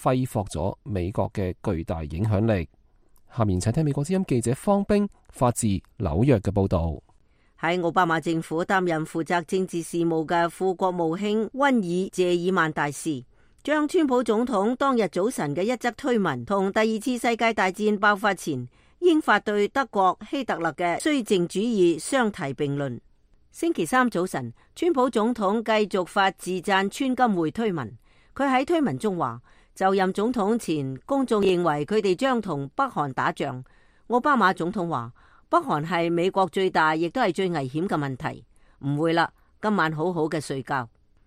揮霍咗美國嘅巨大影響力。下面請聽美國之音記者方冰發自紐約嘅報道。喺奧巴馬政府擔任負責政治事務嘅副國務卿溫爾謝爾曼大使，將川普總統當日早晨嘅一則推文同第二次世界大戰爆發前英法對德國希特勒嘅綏靖主義相提並論。星期三早晨，川普總統繼續發自讚川金會推文。佢喺推文中話，就任總統前，公眾認為佢哋將同北韓打仗。奧巴馬總統話，北韓係美國最大亦都係最危險嘅問題。唔會啦，今晚好好嘅睡覺。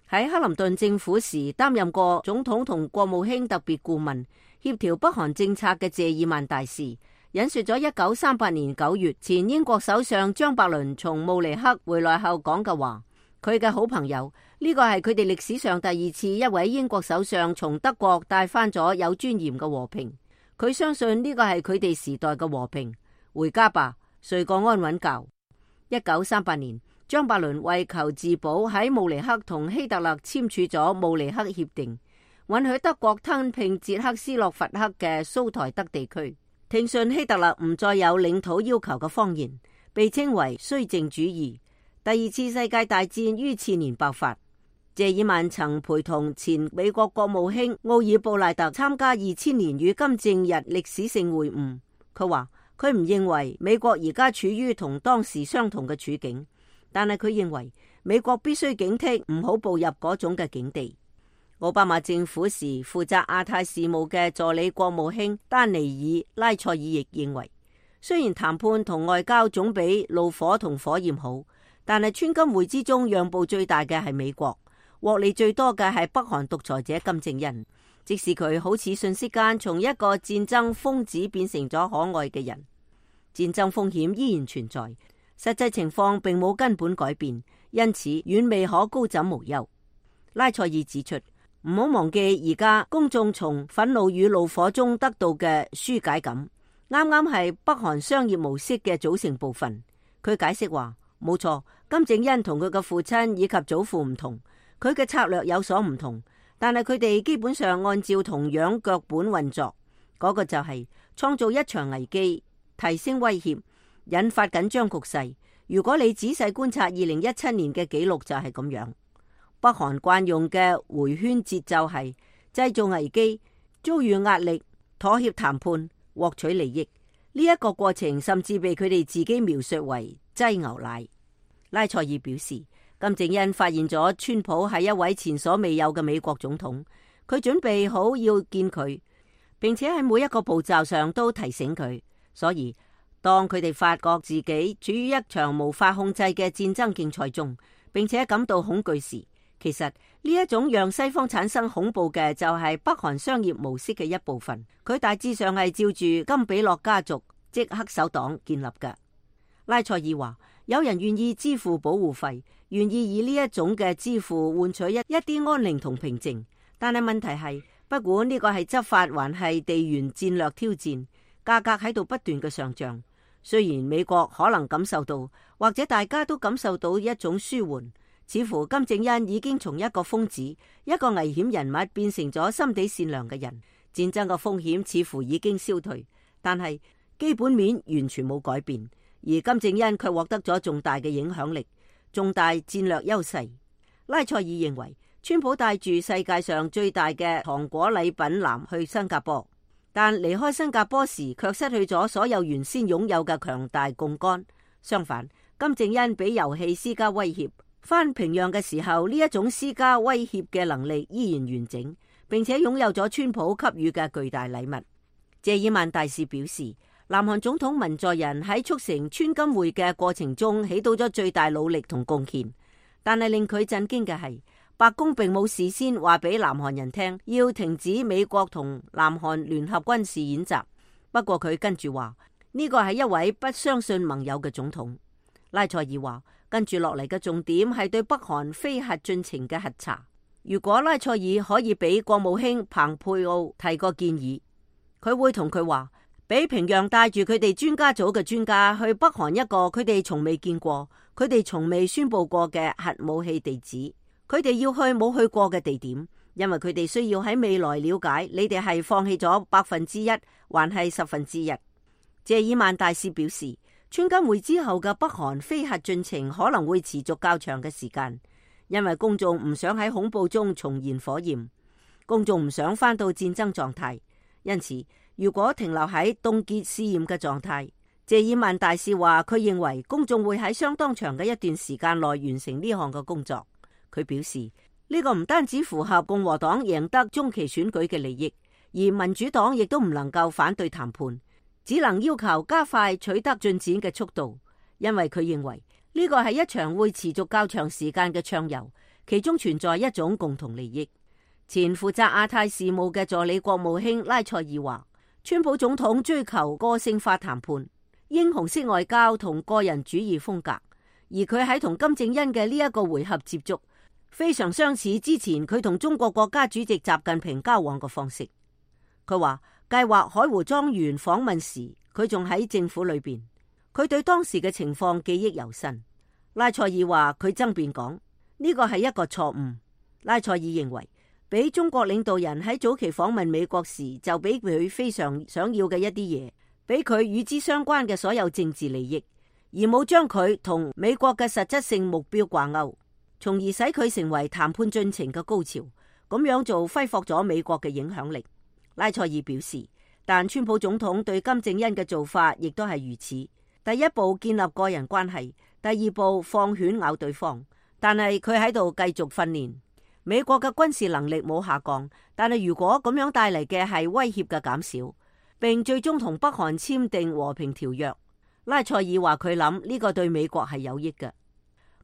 喺克林頓政府時擔任過總統同國務卿特別顧問，協調北韓政策嘅謝爾曼大使引述咗一九三八年九月前英國首相張伯倫從慕尼黑回來後講嘅話。佢嘅好朋友，呢個係佢哋歷史上第二次一位英國首相從德國帶翻咗有尊嚴嘅和平。佢相信呢個係佢哋時代嘅和平。回家吧，睡個安穩覺。一九三八年，張伯倫為求自保喺慕尼黑同希特勒簽署咗慕尼黑協定，允許德國吞併捷克斯洛伐克嘅蘇台德地區，聽信希特勒唔再有領土要求嘅謊言，被稱為綏靖主義。第二次世界大戰於次年爆發。謝爾曼曾陪同前美國國務卿奧爾布賴特參加二千年與金正日歷史性會晤。佢話佢唔認為美國而家處於同當時相同嘅處境，但係佢認為美國必須警惕唔好步入嗰種嘅境地。奧巴馬政府時負責亞太事務嘅助理國務卿丹尼爾拉塞爾亦認為，雖然談判同外交總比怒火同火焰好，但係川金會之中讓步最大嘅係美國，獲利最多嘅係北韓獨裁者金正恩。即使佢好似瞬息間從一個戰爭瘋子變成咗可愛嘅人，戰爭風險依然存在，實際情況並冇根本改變，因此遠未可高枕無憂。拉塞爾指出，唔好忘記而家公眾從憤怒與怒火中得到嘅紓解感，啱啱係北韓商業模式嘅組成部分。佢解釋話，冇錯，金正恩同佢嘅父親以及祖父唔同，佢嘅策略有所唔同，但係佢哋基本上按照同樣腳本運作，嗰、那個就係創造一場危機，提升威脅，引發緊張局勢。如果你仔細觀察二零一七年嘅記錄就係咁樣。北韓慣用嘅回圈節奏係製造危機、遭遇壓力、妥協談判、獲取利益。呢、這、一個過程甚至被佢哋自己描述為擠牛奶。拉塞爾表示，金正恩發現咗川普係一位前所未有嘅美國總統，佢準備好要見佢，並且喺每一個步驟上都提醒佢。所以當佢哋發覺自己處於一場無法控制嘅戰爭競賽中，並且感到恐懼時，其實呢一種讓西方產生恐怖嘅就係北韓商業模式嘅一部分。佢大致上係照住金比諾家族即黑手黨建立嘅。拉塞爾話，有人願意支付保護費，願意以呢一種嘅支付換取一一啲安寧同平靜。但係問題係，不管呢個係執法還係地緣戰略挑戰，價格喺度不斷嘅上漲。雖然美國可能感受到，或者大家都感受到一種舒緩，似乎金正恩已經從一個瘋子、一個危險人物變成咗心地善良嘅人，戰爭嘅風險似乎已經消退，但係基本面完全冇改變，而金正恩卻獲得咗重大嘅影響力、重大戰略優勢。拉塞爾認為，川普帶住世界上最大嘅糖果禮品籃去新加坡，但離開新加坡時卻失去咗所有原先擁有嘅強大槓桿。相反，金正恩俾遊戲施加威脅，返平壤嘅時候，呢一種施加威脅嘅能力依然完整，並且擁有咗川普給予嘅巨大禮物。謝爾曼大使表示，南韓總統文在寅喺促成川金會嘅過程中起到咗最大努力同貢獻，但係令佢震驚嘅係，白宮並冇事先話俾南韓人聽要停止美國同南韓聯合軍事演習。不過佢跟住話，呢個係一位不相信盟友嘅總統。拉塞爾話，跟住落嚟嘅重點係對北韓非核進程嘅核查。如果拉塞爾可以俾國務卿蓬佩奧提個建議，佢會同佢話，俾平壤帶住佢哋專家組嘅專家去北韓一個佢哋從未見過、佢哋從未宣佈過嘅核武器地址。佢哋要去冇去過嘅地點，因為佢哋需要喺未來了解你哋係放棄咗百分之一，還係十分之一。謝爾曼大使表示，川金會之後嘅北韓非核進程可能會持續較長嘅時間，因為公眾唔想喺恐怖中重燃火焰，公眾唔想返到戰爭狀態。因此，如果停留喺凍結試驗嘅狀態，謝爾曼大使話佢認為公眾會喺相當長嘅一段時間內完成呢項嘅工作。佢表示，呢個唔單止符合共和黨贏得中期選舉嘅利益，而民主黨亦都唔能夠反對談判，只能要求加快取得進展嘅速度，因為佢認為呢個係一場會持續較長時間嘅暢遊，其中存在一種共同利益。前負責亞太事務嘅助理國務卿拉塞爾話，川普總統追求個性化談判、英雄式外交同個人主義風格，而佢喺同金正恩嘅呢一個回合接觸，非常相似之前佢同中國國家主席習近平交往嘅方式。佢話計劃海湖莊園訪問時，佢仲喺政府裏邊，佢對當時嘅情況記憶猶新。拉塞爾話佢爭辯講，呢個係一個錯誤。拉塞爾認為，俾中國領導人喺早期訪問美國時就俾佢非常想要嘅一啲嘢，俾佢與之相關嘅所有政治利益，而冇將佢同美國嘅實質性目標掛鈎，從而使佢成為談判進程嘅高潮。咁樣做揮霍咗美國嘅影響力。拉塞爾表示，但川普總統對金正恩嘅做法亦都係如此。第一步建立個人關係，第二步放犬咬對方。但係佢喺度繼續訓練。美國嘅軍事能力冇下降，但係如果咁樣帶嚟嘅係威脅嘅減少，並最終同北韓簽訂和平條約，拉塞爾話佢諗呢個對美國係有益嘅。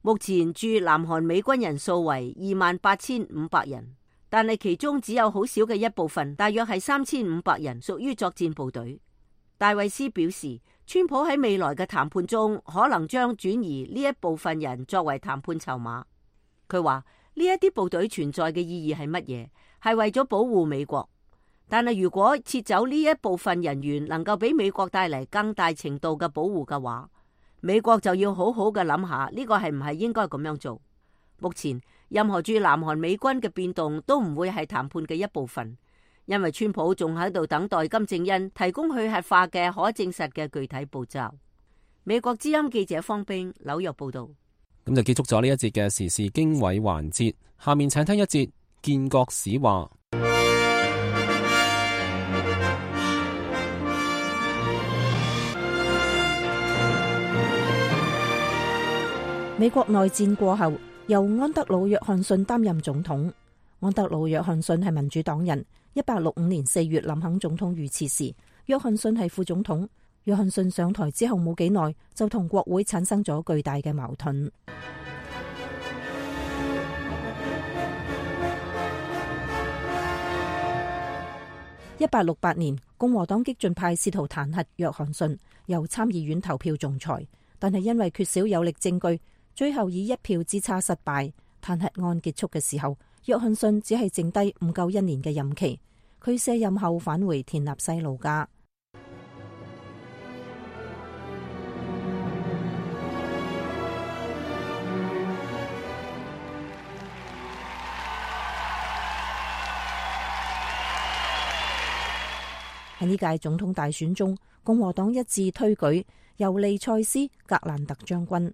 目前駐南韓美軍人數為二萬八千五百人，但係其中只有好少嘅一部分，大約係三千五百人屬於作戰部隊。戴維斯表示，川普喺未來嘅談判中可能將轉移呢一部分人作為談判籌碼。佢話呢一啲部隊存在嘅意義係乜嘢？係為咗保護美國。但係如果撤走呢一部分人員能夠俾美國帶嚟更大程度嘅保護嘅話，美國就要好好嘅諗下呢個係唔係應該咁樣做。目前任何駐南韓美軍嘅變動都唔會係談判嘅一部分，因為川普仲喺度等待金正恩提供去核化嘅可證實嘅具體步驟。美國之音記者方冰紐約報道。咁就結束咗呢一節嘅時事經緯環節，下面請聽一節建國史話。美國內戰過後，由安德魯約翰遜擔任總統。安德魯約翰遜係民主黨人，一八六五年四月，林肯總統遇刺時，約翰遜係副總統。約翰遜上台之後冇幾耐，就同國會產生咗巨大嘅矛盾。一八六八年，共和黨激進派試圖彈劾約翰遜，由參議院投票仲裁，但係因為缺少有力證據，最後以一票之差失敗。彈劾案結束嘅時候，約翰遜只係剩低唔夠一年嘅任期。佢卸任後返回田納西老家。喺呢屆總統大選中，共和黨一致推舉尤利塞斯·格蘭特將軍。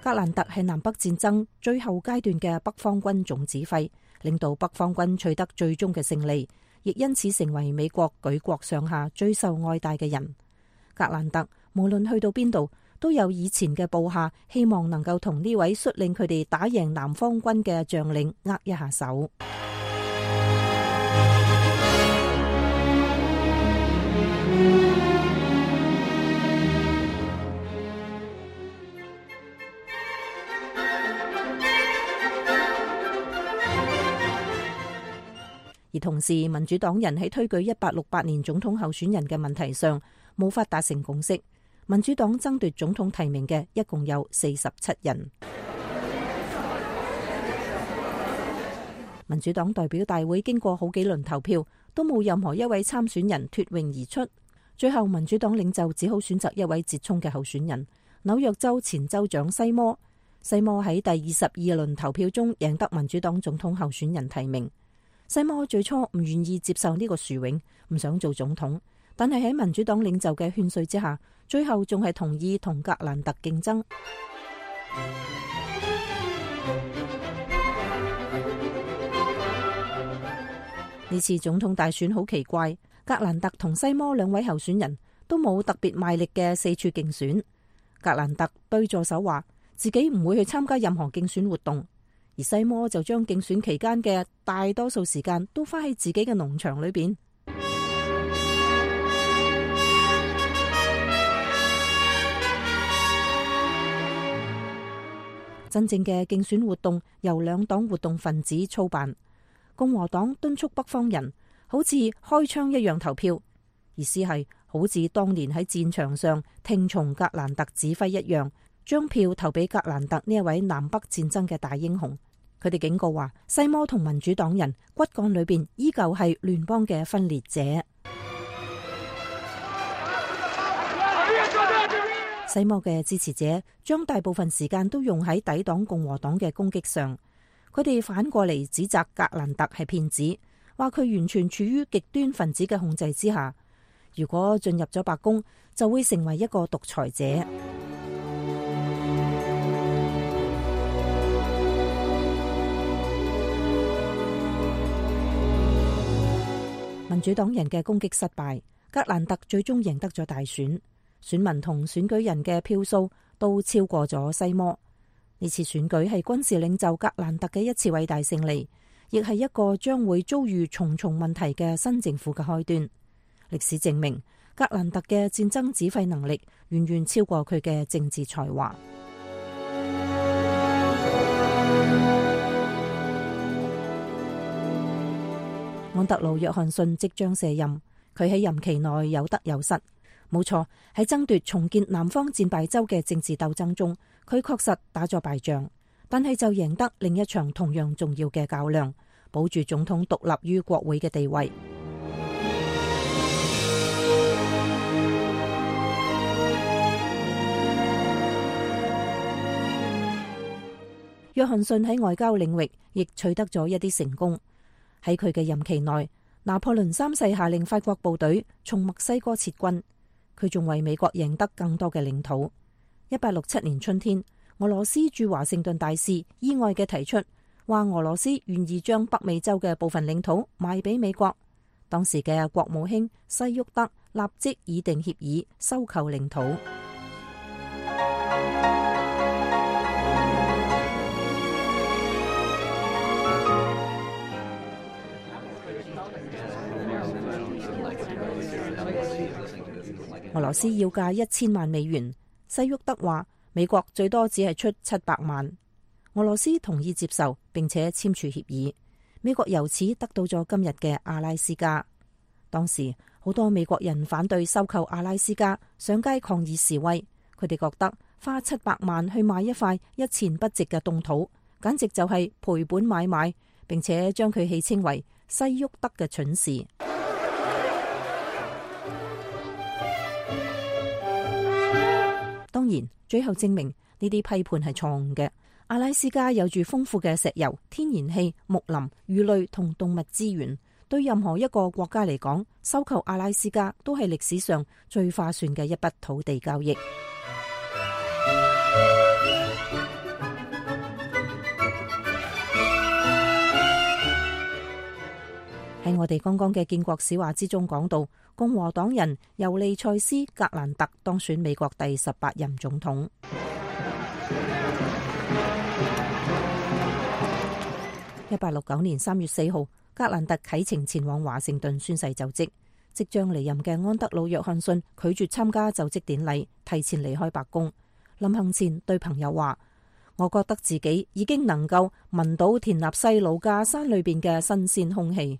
格蘭特係南北戰爭最後階段嘅北方軍總指揮，領導北方軍取得最終嘅勝利，亦因此成為美國舉國上下最受愛戴嘅人。格蘭特無論去到邊度，都有以前嘅部下希望能夠同呢位率領佢哋打贏南方軍嘅將領握一下手。而同時，民主黨人喺推舉一八六八年總統候選人嘅問題上無法達成共識。民主黨爭奪總統提名嘅一共有四十七人。民主黨代表大會經過好幾輪投票，都冇任何一位參選人脫穎而出。最後，民主黨領袖只好選擇一位折衝嘅候選人——紐約州前州長西摩。西摩喺第二十二輪投票中贏得民主黨總統候選人提名。西摩最初唔願意接受呢個殊榮，唔想做總統，但係喺民主黨領袖嘅勸說之下，最後仲係同意同格蘭特競爭。呢次總統大選好奇怪，格蘭特同西摩兩位候選人都冇特別賣力嘅四處競選。格蘭特對助手話自己唔會去參加任何競選活動，而西摩就將競選期間嘅大多數時間都花喺自己嘅農場裏邊。真正嘅競選活動由兩黨活動分子操辦。共和黨敦促北方人好似開槍一樣投票，意思係好似當年喺戰場上聽從格蘭特指揮一樣，將票投俾格蘭特呢一位南北戰爭嘅大英雄。佢哋警告話，西摩同民主黨人骨幹裏邊依舊係聯邦嘅分裂者。西摩嘅支持者將大部分時間都用喺抵擋共和黨嘅攻擊上，佢哋反過嚟指責格蘭特係騙子，話佢完全處於極端分子嘅控制之下，如果進入咗白宮，就會成為一個獨裁者。民主黨人嘅攻擊失敗，格蘭特最終贏得咗大選。選民同選舉人嘅票數都超過咗西摩。呢次選舉係軍事領袖格蘭特嘅一次偉大勝利，亦係一個將會遭遇重重問題嘅新政府嘅開端。歷史證明，格蘭特嘅戰爭指揮能力遠遠超過佢嘅政治才華。安德魯約翰遜即將卸任，佢喺任期內有得有失。冇錯，喺爭奪重建南方戰敗州嘅政治鬥爭中，佢確實打咗敗仗，但係就贏得另一場同樣重要嘅較量，保住總統獨立於國會嘅地位。約翰遜喺外交領域亦取得咗一啲成功。喺佢嘅任期內，拿破崙三世下令法國部隊從墨西哥撤軍。佢仲為美國贏得更多嘅領土。一八六七年春天，俄羅斯駐華盛頓大使意外嘅提出，話俄羅斯願意將北美洲嘅部分領土賣俾美國。當時嘅國務卿西沃德立即擬定協議收購領土。俄羅斯要價一千萬美元，西沃德話美國最多只係出七百萬。俄羅斯同意接受並且簽署協議，美國由此得到咗今日嘅阿拉斯加。當時好多美國人反對收購阿拉斯加，上街抗議示威。佢哋覺得花七百萬去買一塊一錢不值嘅凍土，簡直就係賠本買賣，並且將佢戲稱為西沃德嘅蠢事。當然，最後證明呢啲批判係錯誤嘅。阿拉斯加有住豐富嘅石油、天然氣、木林、魚類同動物資源，對任何一個國家嚟講，收購阿拉斯加都係歷史上最划算嘅一筆土地交易。喺我哋剛剛嘅建國史話之中講到，共和黨人尤利塞斯·格蘭特當選美國第十八任總統。一八六九年三月四號，格蘭特啟程前往華盛頓宣誓就職。即將離任嘅安德魯·約翰遜拒絕參加就職典禮，提前離開白宮。臨行前對朋友話：我覺得自己已經能夠聞到田納西魯加山裏邊嘅新鮮空氣。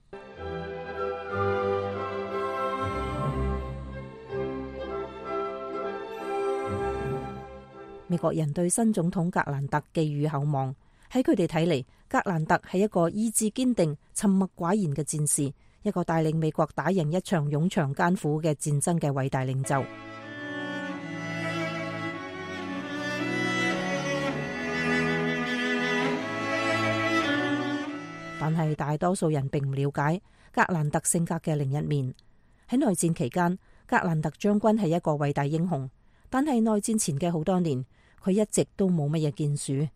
美國人對新總統格蘭特寄予厚望。喺佢哋睇嚟，格蘭特係一個意志堅定、沉默寡言嘅戰士，一個帶領美國打贏一場冗長艱苦嘅戰爭嘅偉大領袖。但係大多數人並唔了解格蘭特性格嘅另一面。喺內戰期間，格蘭特將軍係一個偉大英雄，但係內戰前嘅好多年，佢一直都冇乜嘢建樹。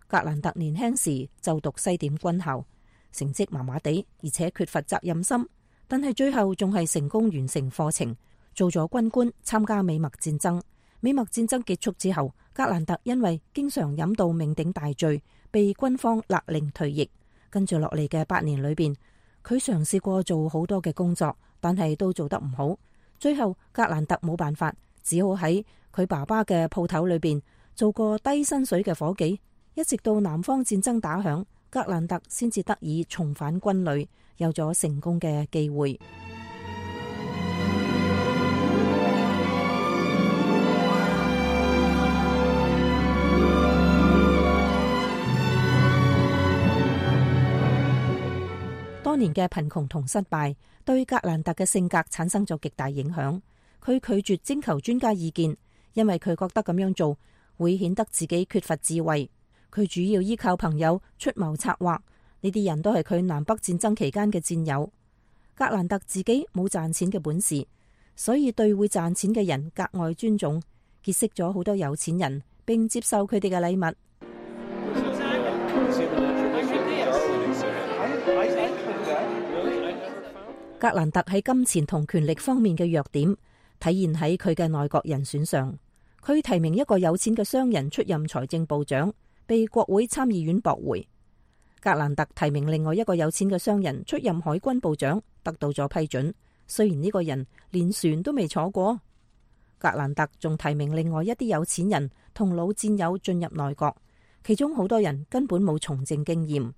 格蘭特年輕時就讀西點軍校，成績麻麻地，而且缺乏責任心。但係最後仲係成功完成課程，做咗軍官，參加美墨戰爭。美墨戰爭結束之後，格蘭特因為經常飲到酩酊大醉，被軍方勒令退役。跟住落嚟嘅八年裏邊，佢嘗試過做好多嘅工作，但係都做得唔好。最後格蘭特冇辦法，只好喺佢爸爸嘅鋪頭裏邊做個低薪水嘅伙計。一直到南方戰爭打響，格蘭特先至得以重返軍旅，有咗成功嘅機會。多年嘅貧窮同失敗，對格蘭特嘅性格產生咗極大影響。佢拒絕徵求專家意見，因為佢覺得咁樣做會顯得自己缺乏智慧。佢主要依靠朋友出謀策劃，呢啲人都係佢南北戰爭期間嘅戰友。格蘭特自己冇賺錢嘅本事，所以對會賺錢嘅人格外尊重，結識咗好多有錢人，並接受佢哋嘅禮物。格蘭特喺金錢同權力方面嘅弱點，體現喺佢嘅內閣人選上。佢提名一個有錢嘅商人出任財政部長，被國會參議院駁回。格蘭特提名另外一個有錢嘅商人出任海軍部長，得到咗批准。雖然呢個人連船都未坐過。格蘭特仲提名另外一啲有錢人同老戰友進入內閣，其中好多人根本冇從政經驗。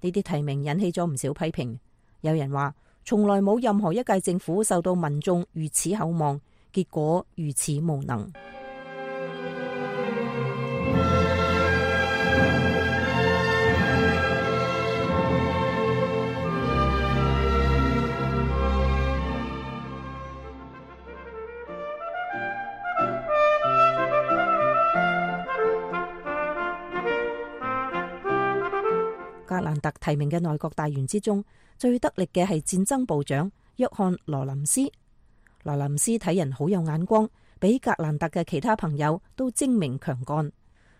呢啲提名引起咗唔少批評。有人話，從來冇任何一屆政府受到民眾如此厚望，結果如此無能。格蘭特提名嘅內閣大員之中，最得力嘅係戰爭部長約翰羅林斯。羅林斯睇人好有眼光，比格蘭特嘅其他朋友都精明強幹。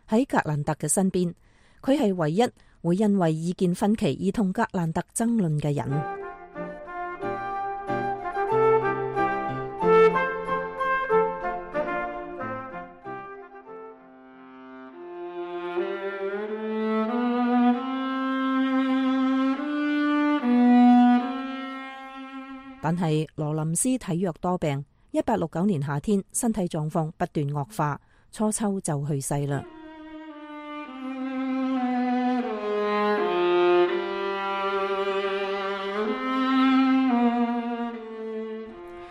喺格蘭特嘅身邊，佢係唯一會因為意見分歧而同格蘭特爭論嘅人。但係羅林斯體弱多病，一八六九年夏天，身體狀況不斷惡化，初秋就去世啦。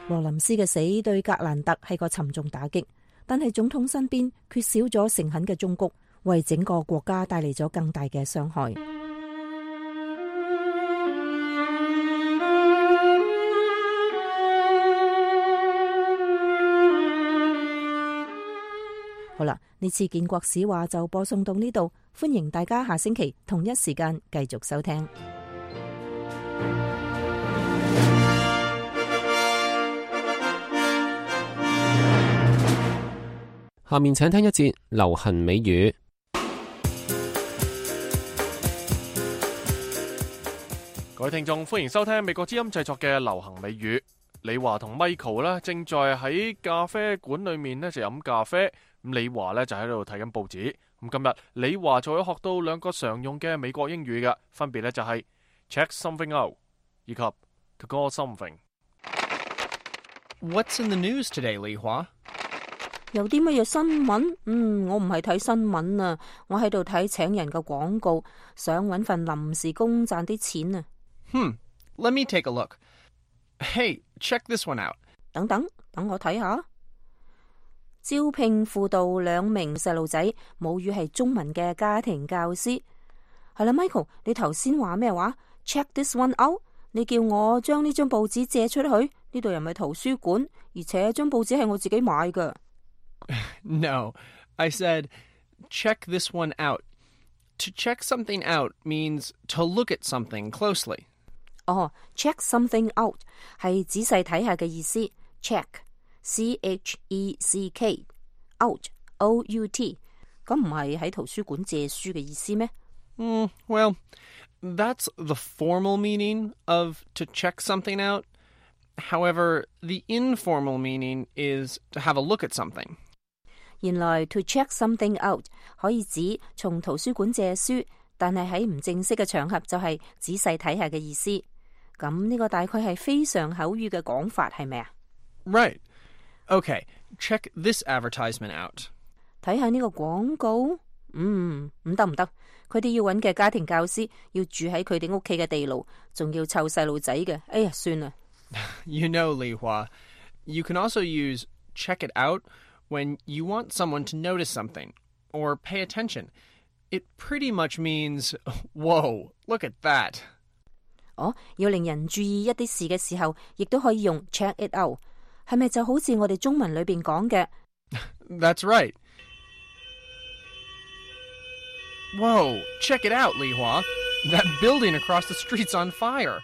羅林斯嘅死對格蘭特係個沉重打擊，但係總統身邊缺少咗誠懇嘅忠告，為整個國家帶嚟咗更大嘅傷害。好啦，呢次建國史話就播送到呢度，歡迎大家下星期同一時間繼續收聽。下面請聽一節流行美語。各位聽眾，歡迎收聽美國之音製作嘅流行美語。李華同 Michael 呢正在喺咖啡館裏面呢就飲咖啡，咁李華呢就喺度睇緊報紙。咁今日李華就會學到兩個常用嘅美國英語嘅，分別呢就係 check something out 以及 to call something。 What's in the news today, 李華？有啲乜嘢新聞？嗯，我唔係睇新聞啊，我喺度睇請人嘅廣告，想搵份臨時工賺啲錢啊。Hmm, let me take a look. Hey, check this one out. 等等，等我睇下。招聘輔導兩名細路仔，母語係中文嘅家庭教師。係啦 ，Michael， 你頭先話咩話 ？Check this one out。你叫我將呢張報紙借出去，呢度又唔係圖書館，而且張報紙係我自己買㗎。No, I said, check this one out. To check something out means to look at something closely. 哦 ，check something out 係仔細睇下嘅意思。check, C H E C K, out, O U T， 咁唔係喺圖書館借書嘅意思咩？ Mm, well, that's the formal meaning of to check something out. However, the informal meaning is to have a look at something. 原來 to check something out 可以指從圖書館借書，但係喺唔正式嘅場合就係仔細睇下嘅意思。咁呢個大概係非常口語嘅講法，係咪啊？ Right. Okay, check this advertisement out. 睇下呢個廣告，嗯，唔得唔得，佢哋要揾嘅家庭教師要住喺佢哋屋企嘅地牢，仲要湊細路仔嘅。哎呀，算啦。You know, Li Hua, you can also use check it out when you want someone to notice something or pay attention. It pretty much means, whoa, look at that. 哦，要令人注意一啲事嘅時候，亦都可以用 check it out， 係咪就好似我哋中文裏邊講嘅 That's right. Whoa, check it out, Li Hua. That building across the street's on fire.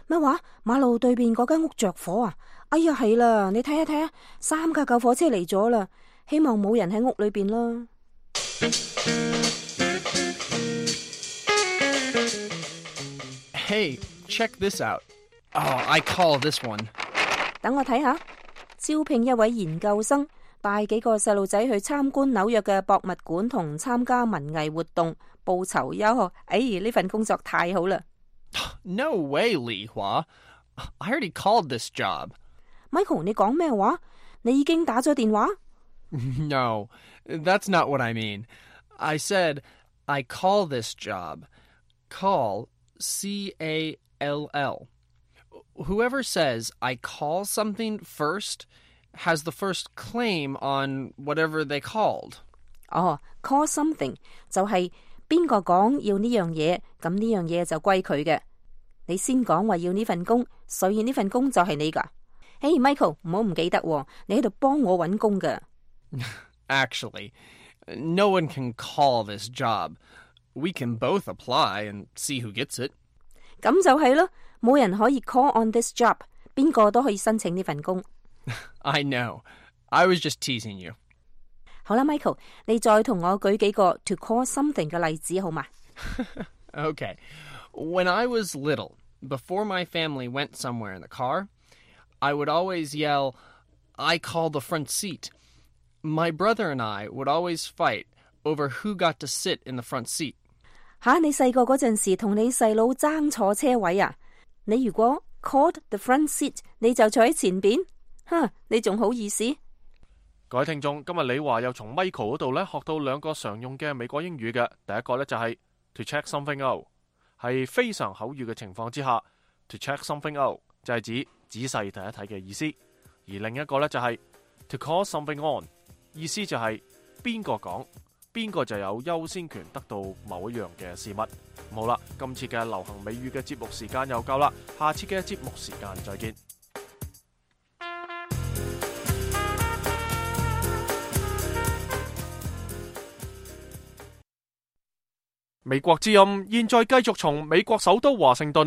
咩話？馬路對面嗰間屋着火啊！哎呀，係啦，你睇下睇下，三架救火車嚟咗啦，希望冇人喺屋裏邊啦。Hey, check this out. Oh, I call this one. 等我睇下，招聘一位研究生，帶幾個細路仔去參觀紐約嘅博物館同參加文藝活動，報酬優厚。哎，呢份工作太好啦！ No way, Li Hua. I already called this job. Michael， 你講咩話？你已經打咗電話？ No, that's not what I mean. I said I call this job. Call, C A L L. Whoever says I call something first has the first claim on whatever they called. 哦 call something 就係邊個講要呢樣嘢，咁呢樣嘢就歸佢嘅。你先講話要呢份工，所以呢份工就係你噶。嘿 Michael， 唔好唔記得，你喺度幫我搵工噶。Actually, no one can call this job. We can both apply and see who gets it. 咁就係咯，冇人可以 call on this job， 邊個都可以申請呢份工。I know. I was just teasing you. 好啦 Michael， 你再同我舉幾個 to call something 嘅例子好嘛？ Okay. When I was little, before my family went somewhere in the car, I would always yell, I call the front seat. My brother and I would always fight over who got to sit in the front seat. 吓，你細個嗰陣時同你細佬爭坐車位啊？你如果 called the front seat， 你就坐喺前邊。哼，你仲好意思？各位聽眾，今日李華又從 Michael 嗰度咧學到兩個常用嘅美國英語嘅。第一個咧就係 to check something out， 係非常口語嘅情況之下 to check something out 就係指仔細睇一睇嘅意思。而另一個咧就係 to call something on， 意思就係邊個講邊個就有優先權得到某一樣嘅事物。好啦，今次嘅流行美語嘅節目時間又夠啦，下次嘅節目時間再見。美國之音現在繼續從美國首都華盛頓